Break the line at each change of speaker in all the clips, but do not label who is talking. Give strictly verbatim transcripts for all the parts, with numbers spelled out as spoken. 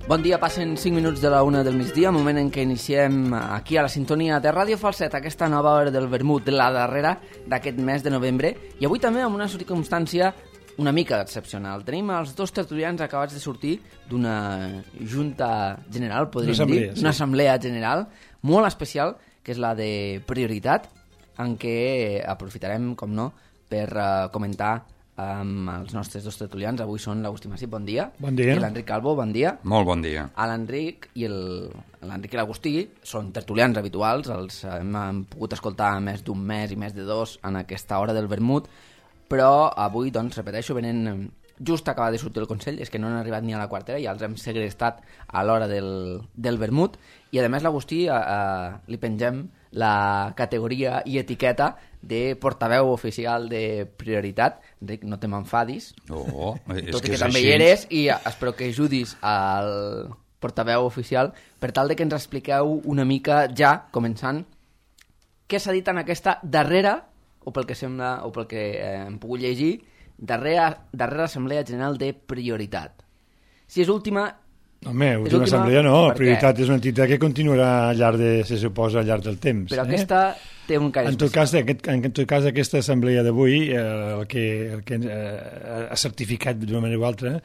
Bon dia, passen cinc minuts de la una del migdia, moment en què iniciem aquí a la sintonia de Ràdio Falset, aquesta nova hora del vermut, la darrera d'aquest mes de novembre, i avui també amb una circumstància una mica excepcional. Tenim els dos tertulians acabats de sortir d'una junta general, podríem dir, una assemblea general molt especial, que és la de prioritat, en què aprofitarem, com no, per uh, comentar amb els nostres dos tertulians. Avui són l'Agustí Massip, bon dia.
Bon dia.
I l'Enric Calvo, bon dia.
Molt bon dia.
L'Enric i el, l'Enric i l'Agustí són tertulians habituals, els hem, hem pogut escoltar més d'un mes i més de dos en aquesta hora del vermut, però avui, doncs, repeteixo, venen just acaba de sortir el Consell, és que no han arribat ni a la quartera, ja els hem segrestat a l'hora del, del vermut, i a més l'Agustí a, a, li pengem la categoria i etiqueta de portaveu oficial de prioritat. Enric, no te m'enfadis,
oh,
tot
que
i que
és
també
així.
hi eres, i espero que ajudis al portaveu oficial per tal de que ens expliqueu una mica ja, començant, què s'ha dit en aquesta darrera, o pel que sembla, o pel que eh, hem pogut llegir, darrera, darrera Assemblea General de Prioritat. Si és última...
Home,
és
última
última
assemblea no,
perquè...
prioritat és una entitat que continuarà al llarg de, se suposa, al llarg del temps.
Però
eh?
aquesta té un caire
en tot
especial.
cas, aquest, en tot cas, aquesta assemblea d'avui, eh, el que, el que eh, ha certificat d'una manera o altra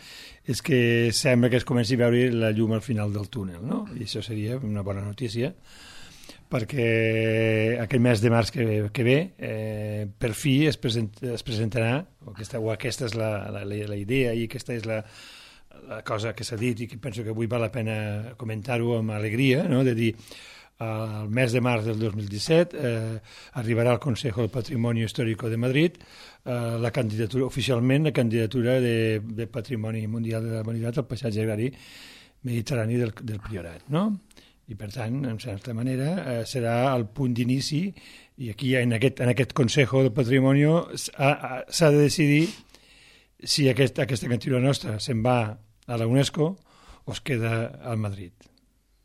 és que sembla que es comenci a veure la llum al final del túnel, no? I això seria una bona notícia, perquè aquest mes de març que, que ve, eh, per fi es, present, es presentarà, o aquesta, o aquesta és la, la, la idea i aquesta és la, la cosa que s'ha dit i que penso que avui val la pena comentar-ho amb alegria, no? De dir, el mes de març del dos mil disset eh, arribarà al Consejo del Patrimonio Histórico de Madrid eh, la candidatura, oficialment la candidatura de, de Patrimoni Mundial de la Humanitat al paisatge agrari mediterrani del, del Priorat, no? I per tant, en certa manera, eh, serà el punt d'inici i aquí en aquest, en aquest Consejo del Patrimonio s'ha de decidir si aquest, aquesta candidatura nostra se'n va a la UNESCO o es queda al Madrid.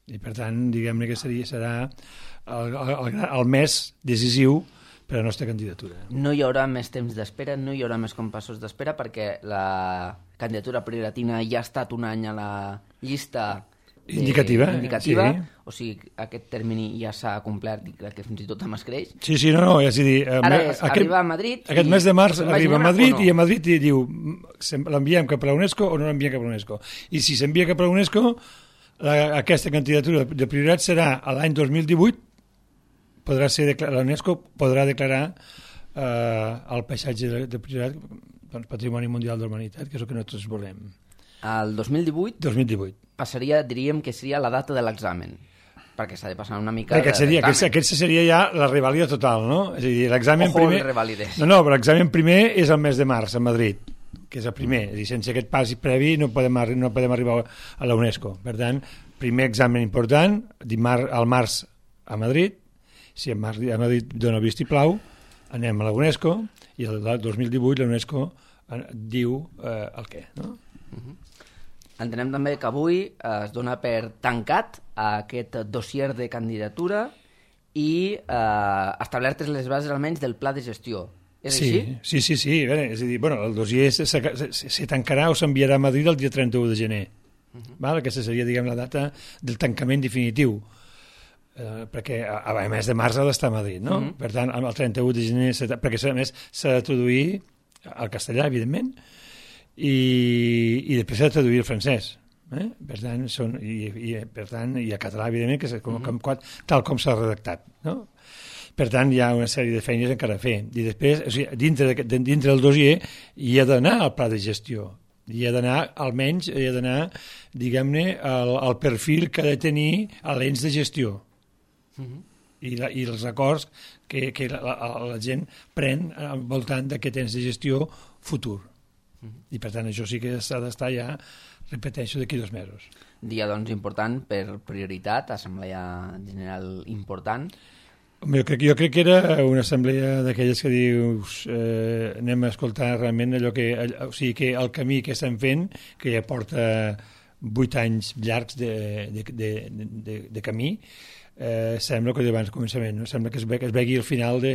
I per tant, diguem-ne que seria, serà el, el, el mes decisiu per a la nostra candidatura.
No hi haurà més temps d'espera, no hi haurà més compassos d'espera, perquè la candidatura prioritatina ja ha estat un any a la llista de...
indicativa,
indicativa
sí.
O sigui, aquest termini ja s'ha complert i crec que fins i tot amb escreix.
Sí, sí, no, no, és a dir...
Ara és aquest, arribar a Madrid...
Aquest mes de març arriba a Madrid
no?
I a Madrid i diu l'enviem cap a la UNESCO o no l'enviem cap a la UNESCO. I si s'envia cap a la UNESCO, la, aquesta candidatura de prioritat serà a l'any dos mil divuit, podrà ser la UNESCO podrà declarar eh, el paisatge de, de prioritat doncs, Patrimoni Mundial de la Humanitat, que és el que nosaltres volem.
El dos mil divuit,
dos mil divuit
passaria, diríem que seria la data de l'examen, perquè s'ha de passar una mica
aquest seria, aquest, aquest seria ja la revàlida total, no? És a dir, l'examen
Ojo,
primer...
revalides.
No, no, però l'examen primer és el mes de març a Madrid, que és el primer. És a dir, sense aquest pas previ no podem, no podem arribar a la UNESCO. Per tant, primer examen important, dimar, al març a Madrid, si a Madrid dona vistiplau, anem a la UNESCO, i el dos mil divuit la UNESCO diu eh, el què, no?
Uh-huh. Entenem també que avui es dona per tancat aquest dossier de candidatura i eh, establertes les bases almenys del pla de gestió. És
sí,
així?
Sí, sí, sí. Bé, és a dir, bueno, el dossier se, se, se tancarà o s'enviarà a Madrid el dia trenta-u de gener. Uh-huh. Val? Aquesta seria, diguem, la data del tancament definitiu. Eh, perquè a, a mes de març ha d'estar a Madrid, no? Uh-huh. Per tant, el trenta-u de gener, perquè a més s'ha de traduir al castellà, evidentment, i, i després s'ha de traduir el francès. Eh? Per tant, són, i, i, per tant, i a català, evidentment, que és com, com, com, tal com s'ha redactat, no? Per tant, hi ha una sèrie de feines encara a fer. I després, o sigui, dintre, de, dintre del dossier hi ha d'anar al pla de gestió. Hi ha d'anar, almenys, hi ha d'anar, diguem-ne, al, al perfil que ha de tenir a l'ens de gestió. Uh-huh. I, la, i els acords que, que la, la, la gent pren al voltant d'aquest ens de gestió futur. Uh-huh. I per tant això sí que s'ha d'estar ja, repeteixo, d'aquí dos mesos.
Dia doncs important per prioritat, assemblea general important.
Jo crec, jo crec que era una assemblea d'aquelles que dius eh, anem a escoltar realment allò que, o sigui, que el camí que estem fent, que ja porta vuit anys llargs de, de, de, de, de camí, eh, sembla que d'abans començament, no? Sembla que es, ve, que es vegi el final de,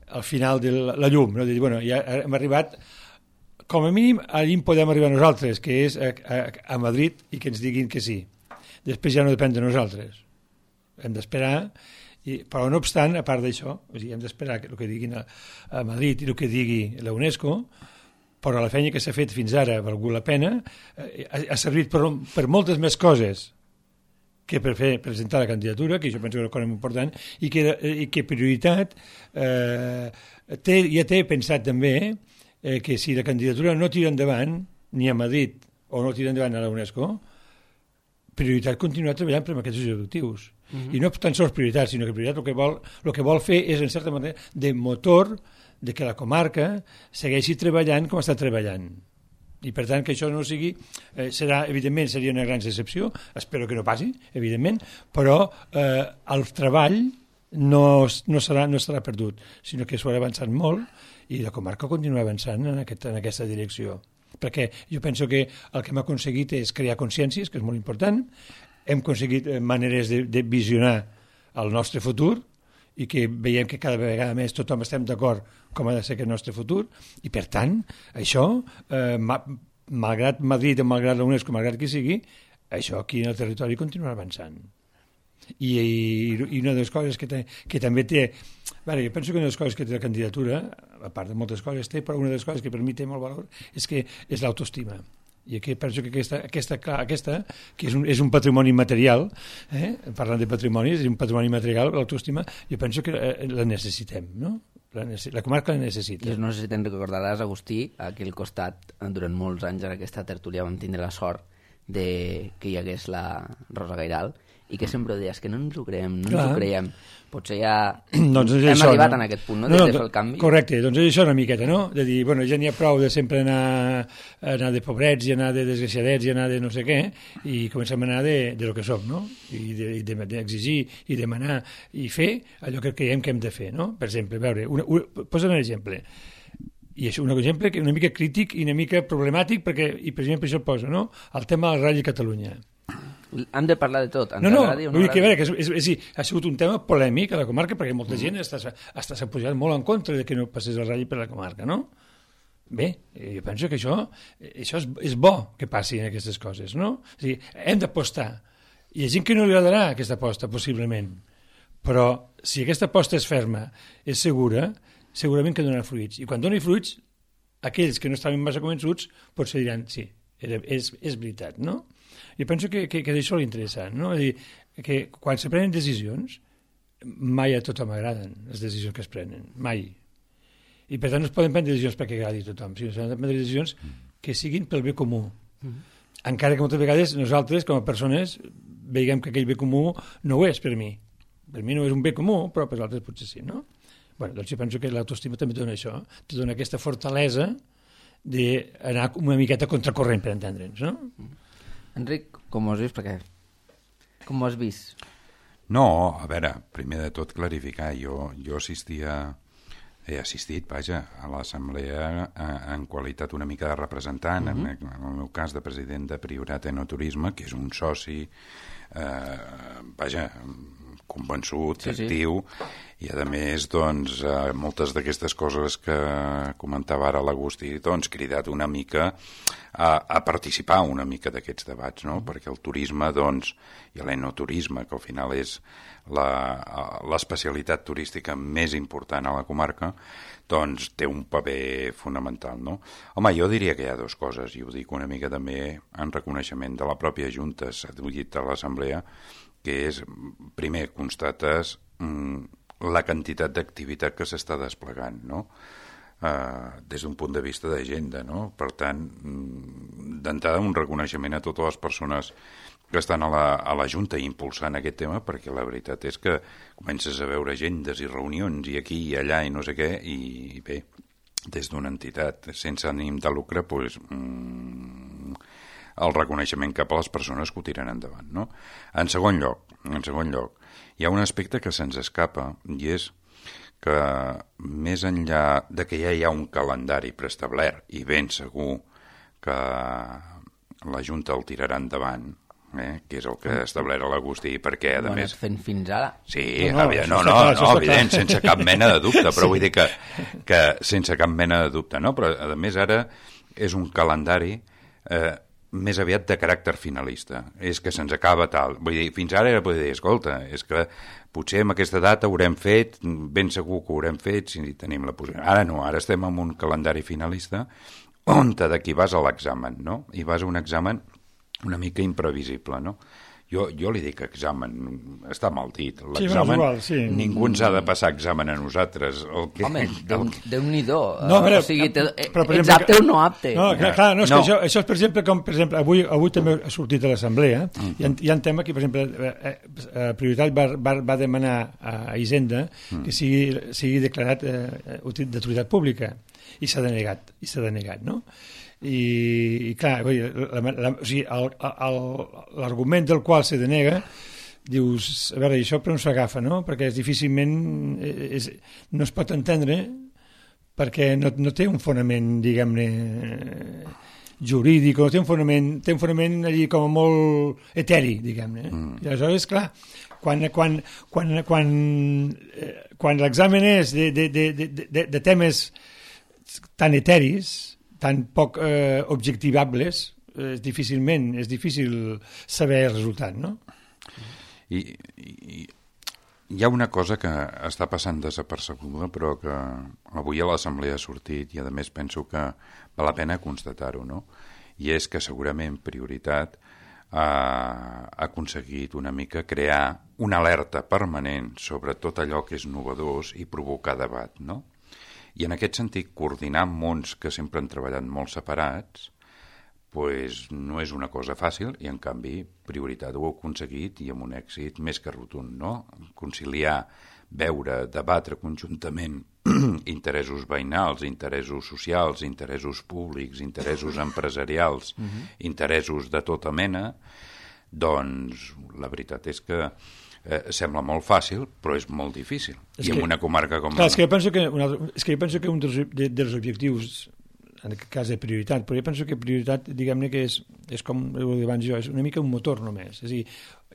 el final de la, la llum, no? De dir, bueno, ja hem arribat, com a mínim, allà podem arribar nosaltres, que és a, a, a Madrid, i que ens diguin que sí. Després ja no depèn de nosaltres. Hem d'esperar, i, però no obstant, a part d'això, o sigui, hem d'esperar el que diguin a, a Madrid i el que digui la UNESCO, però la feina que s'ha fet fins ara ha valgut la pena, eh, ha, ha servit per, per moltes més coses que per fer presentar la candidatura, que jo penso que és una cosa important, i que, i que prioritat eh, té, ja té pensat també eh, que si la candidatura no tira endavant, ni a Madrid o no tira endavant a la UNESCO, prioritat continuar treballant per aquests objectius. Uh-huh. I no tan sols prioritat, sinó que prioritat el que vol, el que vol fer és, en certa manera, de motor de que la comarca segueixi treballant com està treballant. I per tant que això no sigui, eh, serà, evidentment seria una gran excepció, espero que no passi, evidentment, però eh, el treball no, no, serà, no serà perdut, sinó que s'ho ha avançat molt i la comarca continua avançant en, aquest, en aquesta direcció. Perquè jo penso que el que hem aconseguit és crear consciències, que és molt important, hem aconseguit maneres de, de visionar el nostre futur i que veiem que cada vegada més tothom estem d'acord com ha de ser aquest nostre futur i per tant, això, eh, ma, malgrat Madrid o malgrat la UNESCO, malgrat qui sigui, això aquí en el territori continuarà avançant. I, i, i una de les coses que, te, que també té, bueno, jo penso que una de les coses que té la candidatura, a part de moltes coses té, però una de les coses que per mi té molt valor és que és l'autoestima. I aquí penso que aquesta, aquesta, aquesta que és un, és un patrimoni material, eh? Parlant de patrimoni, és un patrimoni material, l'autoestima, jo penso que la necessitem, no? La, la comarca la necessita.
I no sé si te'n recordaràs, Agustí, aquí al costat, durant molts anys en aquesta tertúlia vam tindre la sort de que hi hagués la Rosa Gairal, i que sempre deies que no ens ho creiem, no Clar. ens ho creiem. Potser ja doncs hem això, arribat no? en aquest punt, no? no, no de fer el canvi.
Correcte, doncs és això una miqueta, no? De dir, bueno, ja n'hi ha prou de sempre anar, anar de pobrets i anar de desgraciadets i anar de no sé què, i comencem a anar de, de lo que som, no? I d'exigir de, de, i demanar i fer allò que creiem que hem de fer, no? Per exemple, a veure, una, una, posa un exemple, i és un exemple que una mica crític i una mica problemàtic, perquè, i precisament per això el poso, no? El tema de la Ràdio Catalunya.
Hem de parlar de tot.
No, no, no vull dir que, a veure, que és, és, és, ha sigut un tema polèmic a la comarca perquè molta mm. gent està, està s'ha posat molt en contra de que no passés el ràdio per la comarca, no? Bé, jo penso que això, això és, és bo que passin aquestes coses, no? O sigui, hem d'apostar. Hi ha gent que no li agradarà aquesta aposta, possiblement, però si aquesta aposta és ferma, és segura, segurament que donarà fruits. I quan doni fruits, aquells que no estaven massa convençuts potser diran, sí, és, és veritat, no? Jo penso que, que, que això és interessant, no? És dir, que quan se prenen decisions, mai a tothom agraden les decisions que es prenen, mai. I per tant no es poden prendre decisions perquè agradi a tothom, sinó que s'han de prendre decisions que siguin pel bé comú. Mm. Encara que moltes vegades nosaltres, com a persones, veiem que aquell bé comú no ho és per mi. Per mi no és un bé comú, però per altres potser sí, no? Bé, doncs jo penso que l'autoestima també dona això, te dona aquesta fortalesa d'anar una miqueta contracorrent, per entendre'ns, no? Mm.
Enric, com ho has vist? Perquè... Com ho has vist?
No, a veure, primer de tot clarificar, jo, jo assistia, he assistit, vaja, a l'assemblea en qualitat una mica de representant, uh-huh. en, en el meu cas de president de Priorat Enoturisme, que és un soci, eh, vaja, convençut, sí, actiu, sí. I a més, doncs, eh, moltes d'aquestes coses que comentava ara l'Agustí, doncs, cridat una mica a, a participar una mica d'aquests debats, no? Mm. Perquè el turisme, doncs, i l'enoturisme, que al final és l'especialitat turística més important a la comarca, doncs té un paper fonamental, no? Home, jo diria que hi ha dues coses, i ho dic una mica també en reconeixement de la pròpia Junta, s'ha dit a l'Assemblea, que és, primer, constates mm, la quantitat d'activitat que s'està desplegant, no? Uh, des d'un punt de vista d'agenda, no? Per tant, mm, d'entrada un reconeixement a totes les persones que estan a la, a la Junta impulsant aquest tema, perquè la veritat és que comences a veure agendes i reunions i aquí i allà i no sé què, i bé, des d'una entitat sense ànim de lucre, doncs, mm, el reconeixement cap a les persones que ho tiren endavant, no? En segon lloc, en segon lloc, hi ha un aspecte que se'ns escapa, i és que més enllà de que ja hi ha un calendari preestablert i ben segur que la Junta el tirarà endavant, eh, que és el que establert l'Agustí, perquè, a
Ho han
més...
anat fent fins ara.
Sí,
No, no,
aviam,
això
no,
està
no,
clar,
no,
això està
evident,
clar.
sense cap mena de dubte, però
Sí.
vull dir que, que sense cap mena de dubte, no? Però, a més, ara és un calendari eh, més aviat de caràcter finalista. És que se'ns acaba tal. Vull dir, fins ara era poder dir, escolta, és que potser amb aquesta data haurem fet, ben segur que ho haurem fet si tenim la possibilitat. Ara no, ara estem en un calendari finalista on d'aquí vas a l'examen, no? I vas a un examen una mica imprevisible, no? Jo, jo li dic examen, està mal dit. L'examen,
Sí, igual, sí.
ningú ens ha de passar examen a nosaltres. El que,
Home, Déu- Déu-n'hi-do.
No, però-
o sigui, te,
però, per
ets
exemple,
apte o no apte.
No, clar, clar, no, és
No.
que això, això és, per exemple, com, per exemple, avui, avui també ha sortit a l'Assemblea, mm. hi, ha, hi ha un tema que, per exemple, eh, eh, Prioritat va, va, va demanar a Hisenda mm. que sigui, sigui declarat eh, d'utilitat pública, i s'ha denegat, i s'ha denegat, no? I, i clar, vull dir, la, la, o sigui, el- el- l'argument del qual se denega dius, a veure, això per on s'agafa, no? Perquè és difícilment és, no es pot entendre perquè no, no té un fonament, diguem-ne, jurídic, no té un fonament, té un fonament allí com a molt eteri, diguem-ne. Mm. I aleshores, clar, quan, quan, quan, quan, eh, quan l'examen és de, de, de, de, de, de temes tan eteris, tan poc eh, objectivables, és difícilment, és difícil saber el resultat, no?
I, i hi ha una cosa que està passant desapercebuda, però que avui a l'Assemblea ha sortit i, a més, penso que val la pena constatar-ho, no? I és que segurament Prioritat ha aconseguit una mica crear una alerta permanent sobre tot allò que és novedós i provocar debat, no? I en aquest sentit, coordinar mons que sempre han treballat molt separats pues no és una cosa fàcil i, en canvi, Prioritat ho ha aconseguit i amb un èxit més que rotund, no? Conciliar, veure, debatre conjuntament interessos veïnals, interessos socials, interessos públics, interessos empresarials, uh-huh. interessos de tota mena, doncs la veritat és que eh, sembla molt fàcil, però és molt difícil.
És
I
que,
en una comarca com...
Clar, és que jo penso que, un altre, és que, jo penso que un dels, de, dels objectius, en aquest cas de Prioritat, però jo penso que Prioritat, diguem-ne que és, és com ho dic abans jo, és una mica un motor només. És a dir,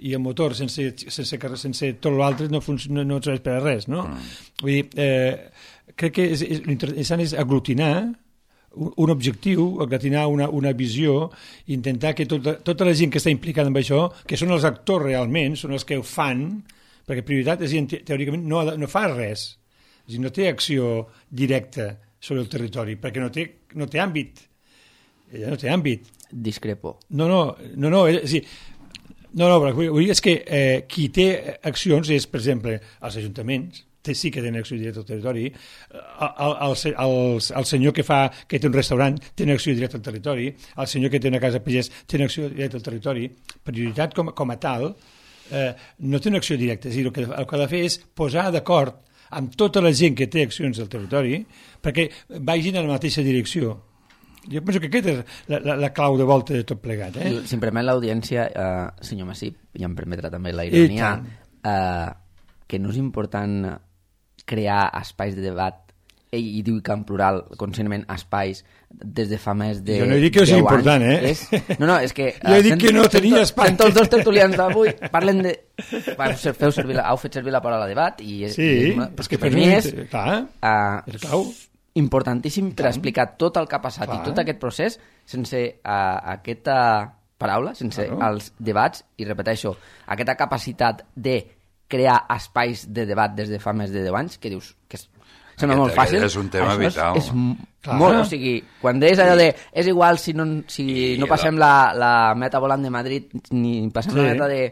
i el motor sense, sense, sense tot l'altre no, no, no serveix per a res, no? Mm. Vull dir, eh, crec que és, és, l'interessant és aglutinar un, un objectiu, aglutinar una, una visió, intentar que tota, tota la gent que està implicada en això, que són els actors realment, són els que ho fan, perquè Prioritat, és a dir, teòricament, no, no fa res. És a dir, no té acció directa sobre el territori, perquè no té, no té àmbit. Ella no té àmbit.
Discrepo.
No, no, no, no, és, és dir, no, no, però vull dir és que eh, qui té accions és, per exemple, els ajuntaments, té, sí que tenen acció directa al territori, el, el, el, el senyor que, fa, que té un restaurant té una acció directa al territori, el senyor que té una casa pagès té una acció directa al territori. Prioritat com, com a tal eh, no té una acció directa, és a dir, el que, el que ha de fer és posar d'acord amb tota la gent que té accions al territori perquè vagin en la mateixa direcció. Jo penso que aquesta és la, la, la clau de volta de tot plegat. Eh?
Si em permet l'audiència, eh, senyor Massip, i em permetrà també la ironia, eh, que no és important crear espais de debat, ell hi diu que en plural, conscientment, espais, des de fa més de
jo no he dit que és important, eh?
És, no, no, és que...
Jo he dit que no tenia espai.
Sento els dos tertulians d'avui, parlen de... Feu servir la, heu fet servir la paraula debat, i,
sí,
i és una,
és que
per mi és...
Clar,
uh,
és clau.
Importantíssim per explicar tot el que ha passat Clar. I tot aquest procés sense uh, aquesta paraula, sense claro. Els debats, i repeteixo, aquesta capacitat de crear espais de debat des de fa més de deu anys, que dius que és, sembla molt fàcil.
És un tema
Això
vital.
És, és molt, o sigui, quan deies allò de és igual si no, si no passem la, la meta volant de Madrid ni passem sí. la meta de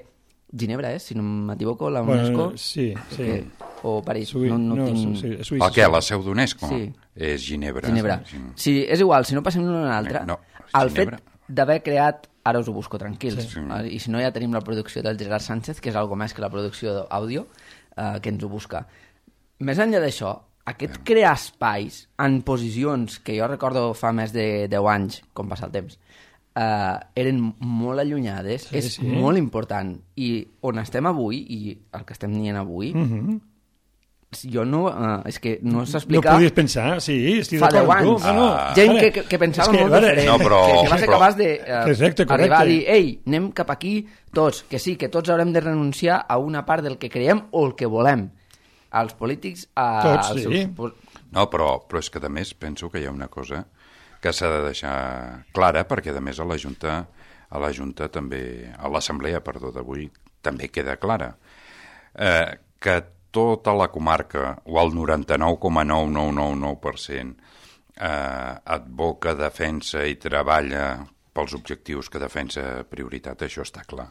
Ginebra, eh? Si no m'equivoco, la UNESCO.
Bueno, sí, sí.
Que, o París,
Sui,
no, no,
no
tinc...
sí, Suïssa.
El què? La seu d'UNESCO?
Sí.
És Ginebra.
Ginebra.
Sí.
Sí, és igual, si no passem l'una a l'altra,
no,
el fet d'haver creat, ara us ho busco tranquils,
sí.
i si no ja tenim la producció del Gerard Sánchez, que és algo més que la producció d'àudio, eh, que ens ho busca. Més enllà d'això, aquest sí. crear espais en posicions que jo recordo fa més de deu anys, com passa el temps, Uh, eren molt allunyades, sí, és sí. molt important, i on estem avui i el que estem dient avui,
uh-huh.
jo no... Uh, és que no s'explica...
No podies pensar, sí, estic
fa
d'acord
deu
amb tu.
anys.
Ah, no.
Gent
Ara,
que, que pensava
que,
molt
ara,
diferent,
no, però,
que, que va ser
però...
capaç d'arribar
uh,
a dir ei, anem cap aquí tots, que sí, que tots haurem de renunciar a una part del que creiem o el que volem. Els polítics... A,
tots,
als
sí.
seus...
No, però, però és que a més penso que hi ha una cosa que s'ha de deixar clara, perquè a més a la Junta, a la Junta també, a l'Assemblea, perdó, d'avui, també queda clara. Eh, que tota la comarca, o el noranta-nou coma nou nou nou nou per cent, eh, advoca, defensa i treballa pels objectius que defensa prioritat, això està clar.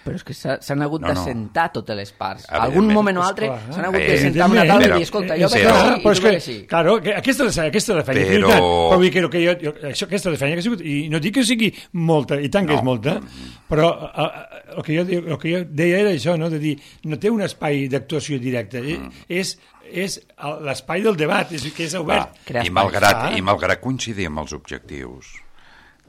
Però és que s'han hagut
No, no.
d'assentar totes les parts.
Evidentment.
Algun moment o altre
Esclar,
s'han hagut
eh,
de sentar a una taula i
però-
dir, escolta, jo
eh,
veig
però-
així i
però és
tu
que,
veig així.
claro, que aquesta és la, aquesta és la feina.
Però-
Però... Però vull dir que jo, jo, això, aquesta és la feina que ha sigut, i no dic que sigui molta, i tant que
No.
és molta, però eh, eh, el, que jo, dic- el que jo deia era això, no? De dir, no té un espai d'actuació directa, mm. és, és el- l'espai del debat, és, que és obert.
Va,
crear
i,
espais.
malgrat,
Ah.
I malgrat coincidir amb els objectius,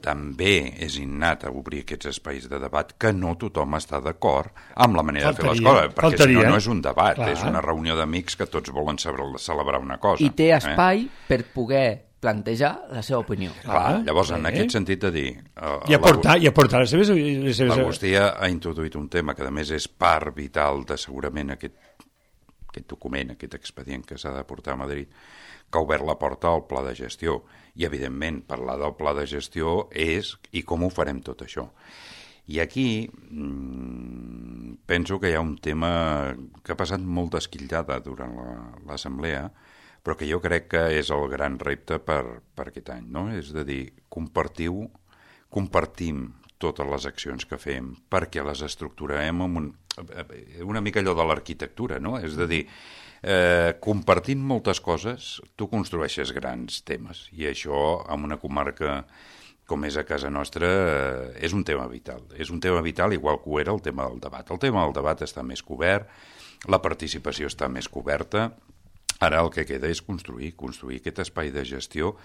també és innat a obrir aquests espais de debat que no tothom està d'acord amb la manera
Faltaria,
de fer les coses, perquè
faltaria.
si no, no és un debat,
Clar.
és una reunió d'amics que tots volen saber- celebrar una cosa.
I té espai
Eh?
per poder plantejar la seva opinió.
Clar, llavors, en
eh?
aquest sentit de dir... Uh,
I aportar, i aportar les seves... Les seves...
L'Agustí ha introduït un tema que, a més, és part vital de segurament aquest, aquest document, aquest expedient que s'ha de portar a Madrid, que ha obert la porta al pla de gestió. I, evidentment, parlar del pla de gestió és i com ho farem tot això. I aquí mmm, penso que hi ha un tema que ha passat molt d'esquillada durant l'assemblea, però que jo crec que és el gran repte per, per aquest any, no? És a dir, compartiu, compartim totes les accions que fem perquè les estructurem amb un, una mica allò de l'arquitectura, no? És a dir, eh, compartint moltes coses, tu construeixes grans temes, i això en una comarca com és a casa nostra, eh, és un tema vital. És un tema vital igual que ho era el tema del debat. El tema del debat està més cobert, la participació està més coberta. Ara el que queda és construir, construir aquest espai de gestió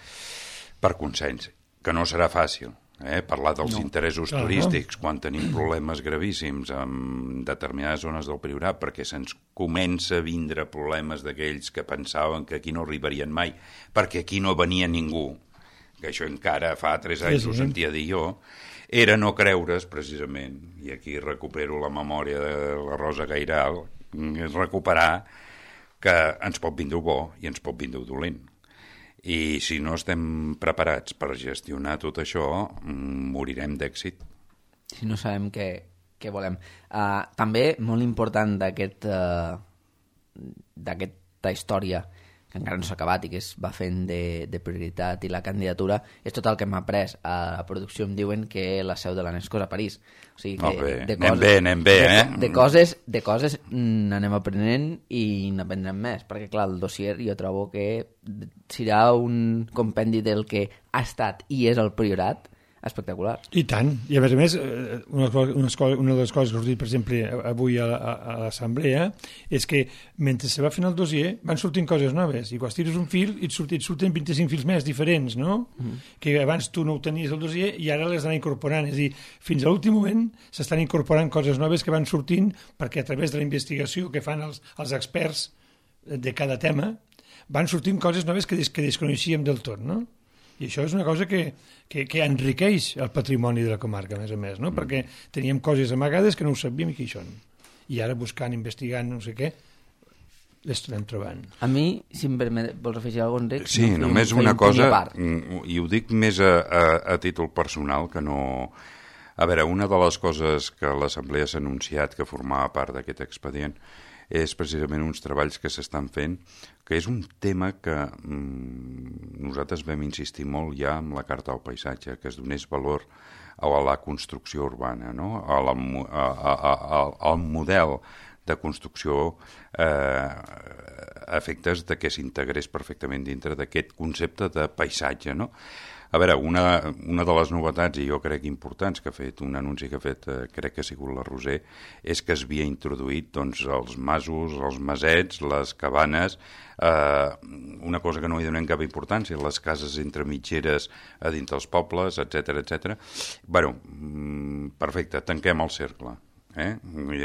per consens, que no serà fàcil. Eh? Parlar dels no. interessos
Clar,
turístics no? quan tenim problemes gravíssims en determinades zones del Priorat, perquè se'ns comença a vindre problemes d'aquells que pensaven que aquí no arribarien mai, perquè aquí no venia ningú, que això encara fa tres anys sí, sí. ho sentia dir jo, era no creure's precisament, i aquí recupero la memòria de la Rosa Gairal, és recuperar que ens pot vindre bo i ens pot vindre dolent. I si no estem preparats per gestionar tot això, morirem d'èxit.
Si no sabem què, què volem. Uh, també, molt important d'aquest uh, d'aquesta història, que encara no s'ha acabat i que es va fent de, de prioritat i la candidatura, és tot el que hem après. A la producció em diuen que la seu de l'Anesco és a París. O sigui que
bé,
de
anem
coses,
bé, anem bé,
de,
eh?
De coses, de coses n'anem aprenent i n'aprendrem més, perquè clar, el dossier jo trobo que serà un compendi del que ha estat i és el Priorat espectacular.
I tant. I a més a més, una, una, una de les coses que us dic, per exemple, avui a, a, a l'assemblea, és que mentre se va fent el dossier van sortint coses noves, i quan tires un fil et surten, et surten vint-i-cinc fils més diferents, no? Mm. Que abans tu no ho tenies el dossier i ara les han incorporant. És a dir, fins a l'últim moment s'estan incorporant coses noves que van sortint perquè a través de la investigació que fan els, els experts de cada tema van sortint coses noves que, des, que desconeixíem del tot, no? I això és una cosa que, que, que enriqueix el patrimoni de la comarca, a més a més, no? Mm. Perquè teníem coses amagades que no ho sabíem i què hi són. I ara buscant, investigant, no sé què, les anem trobant.
A mi, si em permet, vols afegir alguna cosa, Enric?
Sí,
no,
només
feia
una
un punt
cosa,
a part.
i ho dic més a, a, a títol personal, que no... A veure, una de les coses que l'Assemblea s'ha anunciat que formava part d'aquest expedient és precisament uns treballs que s'estan fent, que és un tema que mm, nosaltres vam insistir molt ja amb la Carta del Paisatge, que es donés valor a la construcció urbana, no? a la, a, a, a, al model de construcció eh, a efectes de que s'integrés perfectament dintre d'aquest concepte de paisatge, no? A veure, una, una de les novetats, i jo crec importants, que ha fet un anunci que ha fet, eh, crec que ha sigut la Roser, és que es havia introduït doncs, els masos, els masets, les cabanes, eh, una cosa que no hi donem cap importància, les cases entre mitgeres a dins dels pobles, etcètera, etcètera. Bé, perfecte, tanquem el cercle. Eh?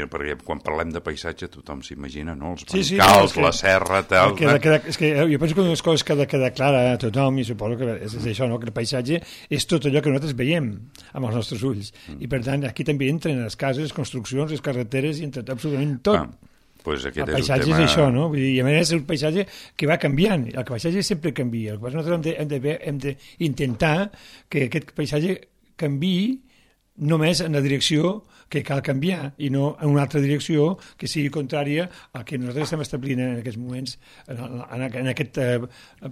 Perquè quan parlem de paisatge tothom s'imagina, no? Els
Sí, sí,
bancals,
no, és que-
la serra, tal...
Queda, queda, és que jo penso que una de les coses que ha de quedar clara a tothom, i suposo que és, és això, no? Que el paisatge és tot allò que nosaltres veiem amb els nostres ulls. Mm. I per tant, aquí també entren les cases, les construccions, les carreteres, i entre absolutament tot.
Ah, pues aquest
El
és
paisatge
un tema...
és això, no? Vull dir, i a més és un paisatge que va canviant. El paisatge sempre canvia. El que passa és que nosaltres hem de- hem de- hem d'intentar que aquest paisatge canviï només en la direcció que cal canviar i no en una altra direcció que sigui contrària al que nosaltres estem establint en aquests moments en, en, en aquest eh,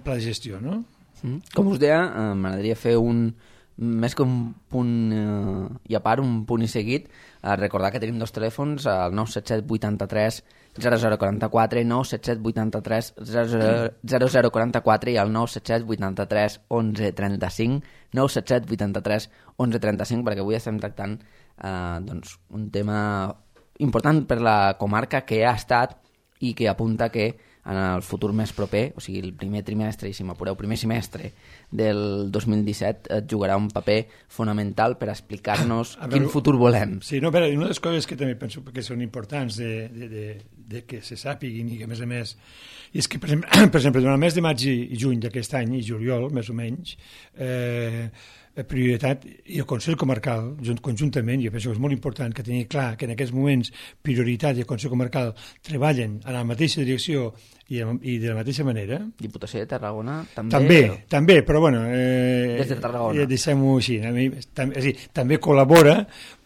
pla de gestió, no?
Mm. Com us deia, eh, m'agradaria fer un més que un punt eh, i a part, un punt i seguit, eh, recordar que tenim dos telèfons, el nou set set vuitanta-tres zero zero quaranta-quatre, nou set set vuitanta-tres zero zero quaranta-quatre i el nou set set vuitanta-tres onze trenta-cinc, nou set set vuitanta-tres onze trenta-cinc, perquè avui estem tractant eh, doncs, un tema important per la comarca que ha estat i que apunta que en el futur més proper, o sigui, el primer trimestre, i si m'apureu, primer semestre del dos mil disset, et jugarà un paper fonamental per explicar-nos
A
quin
veure,
futur volem.
Sí, no, però una de les coses que també penso que són importants de, de, de, de que se sàpiguin i que, a més a més, i és que, per exemple, per exemple durant el mes de maig i, i juny d'aquest any, i juliol, més o menys, eh, prioritat, i el Consell Comarcal, junt, conjuntament, jo penso que és molt important que tenir clar que en aquests moments prioritat i el Consell Comarcal treballen en la mateixa direcció i, i de la mateixa manera.
Diputació de Tarragona també...
També, també, però bueno... Eh,
Des de Tarragona.
Eh, Deixem-ho així. A mi, tam, és dir, també col·labora,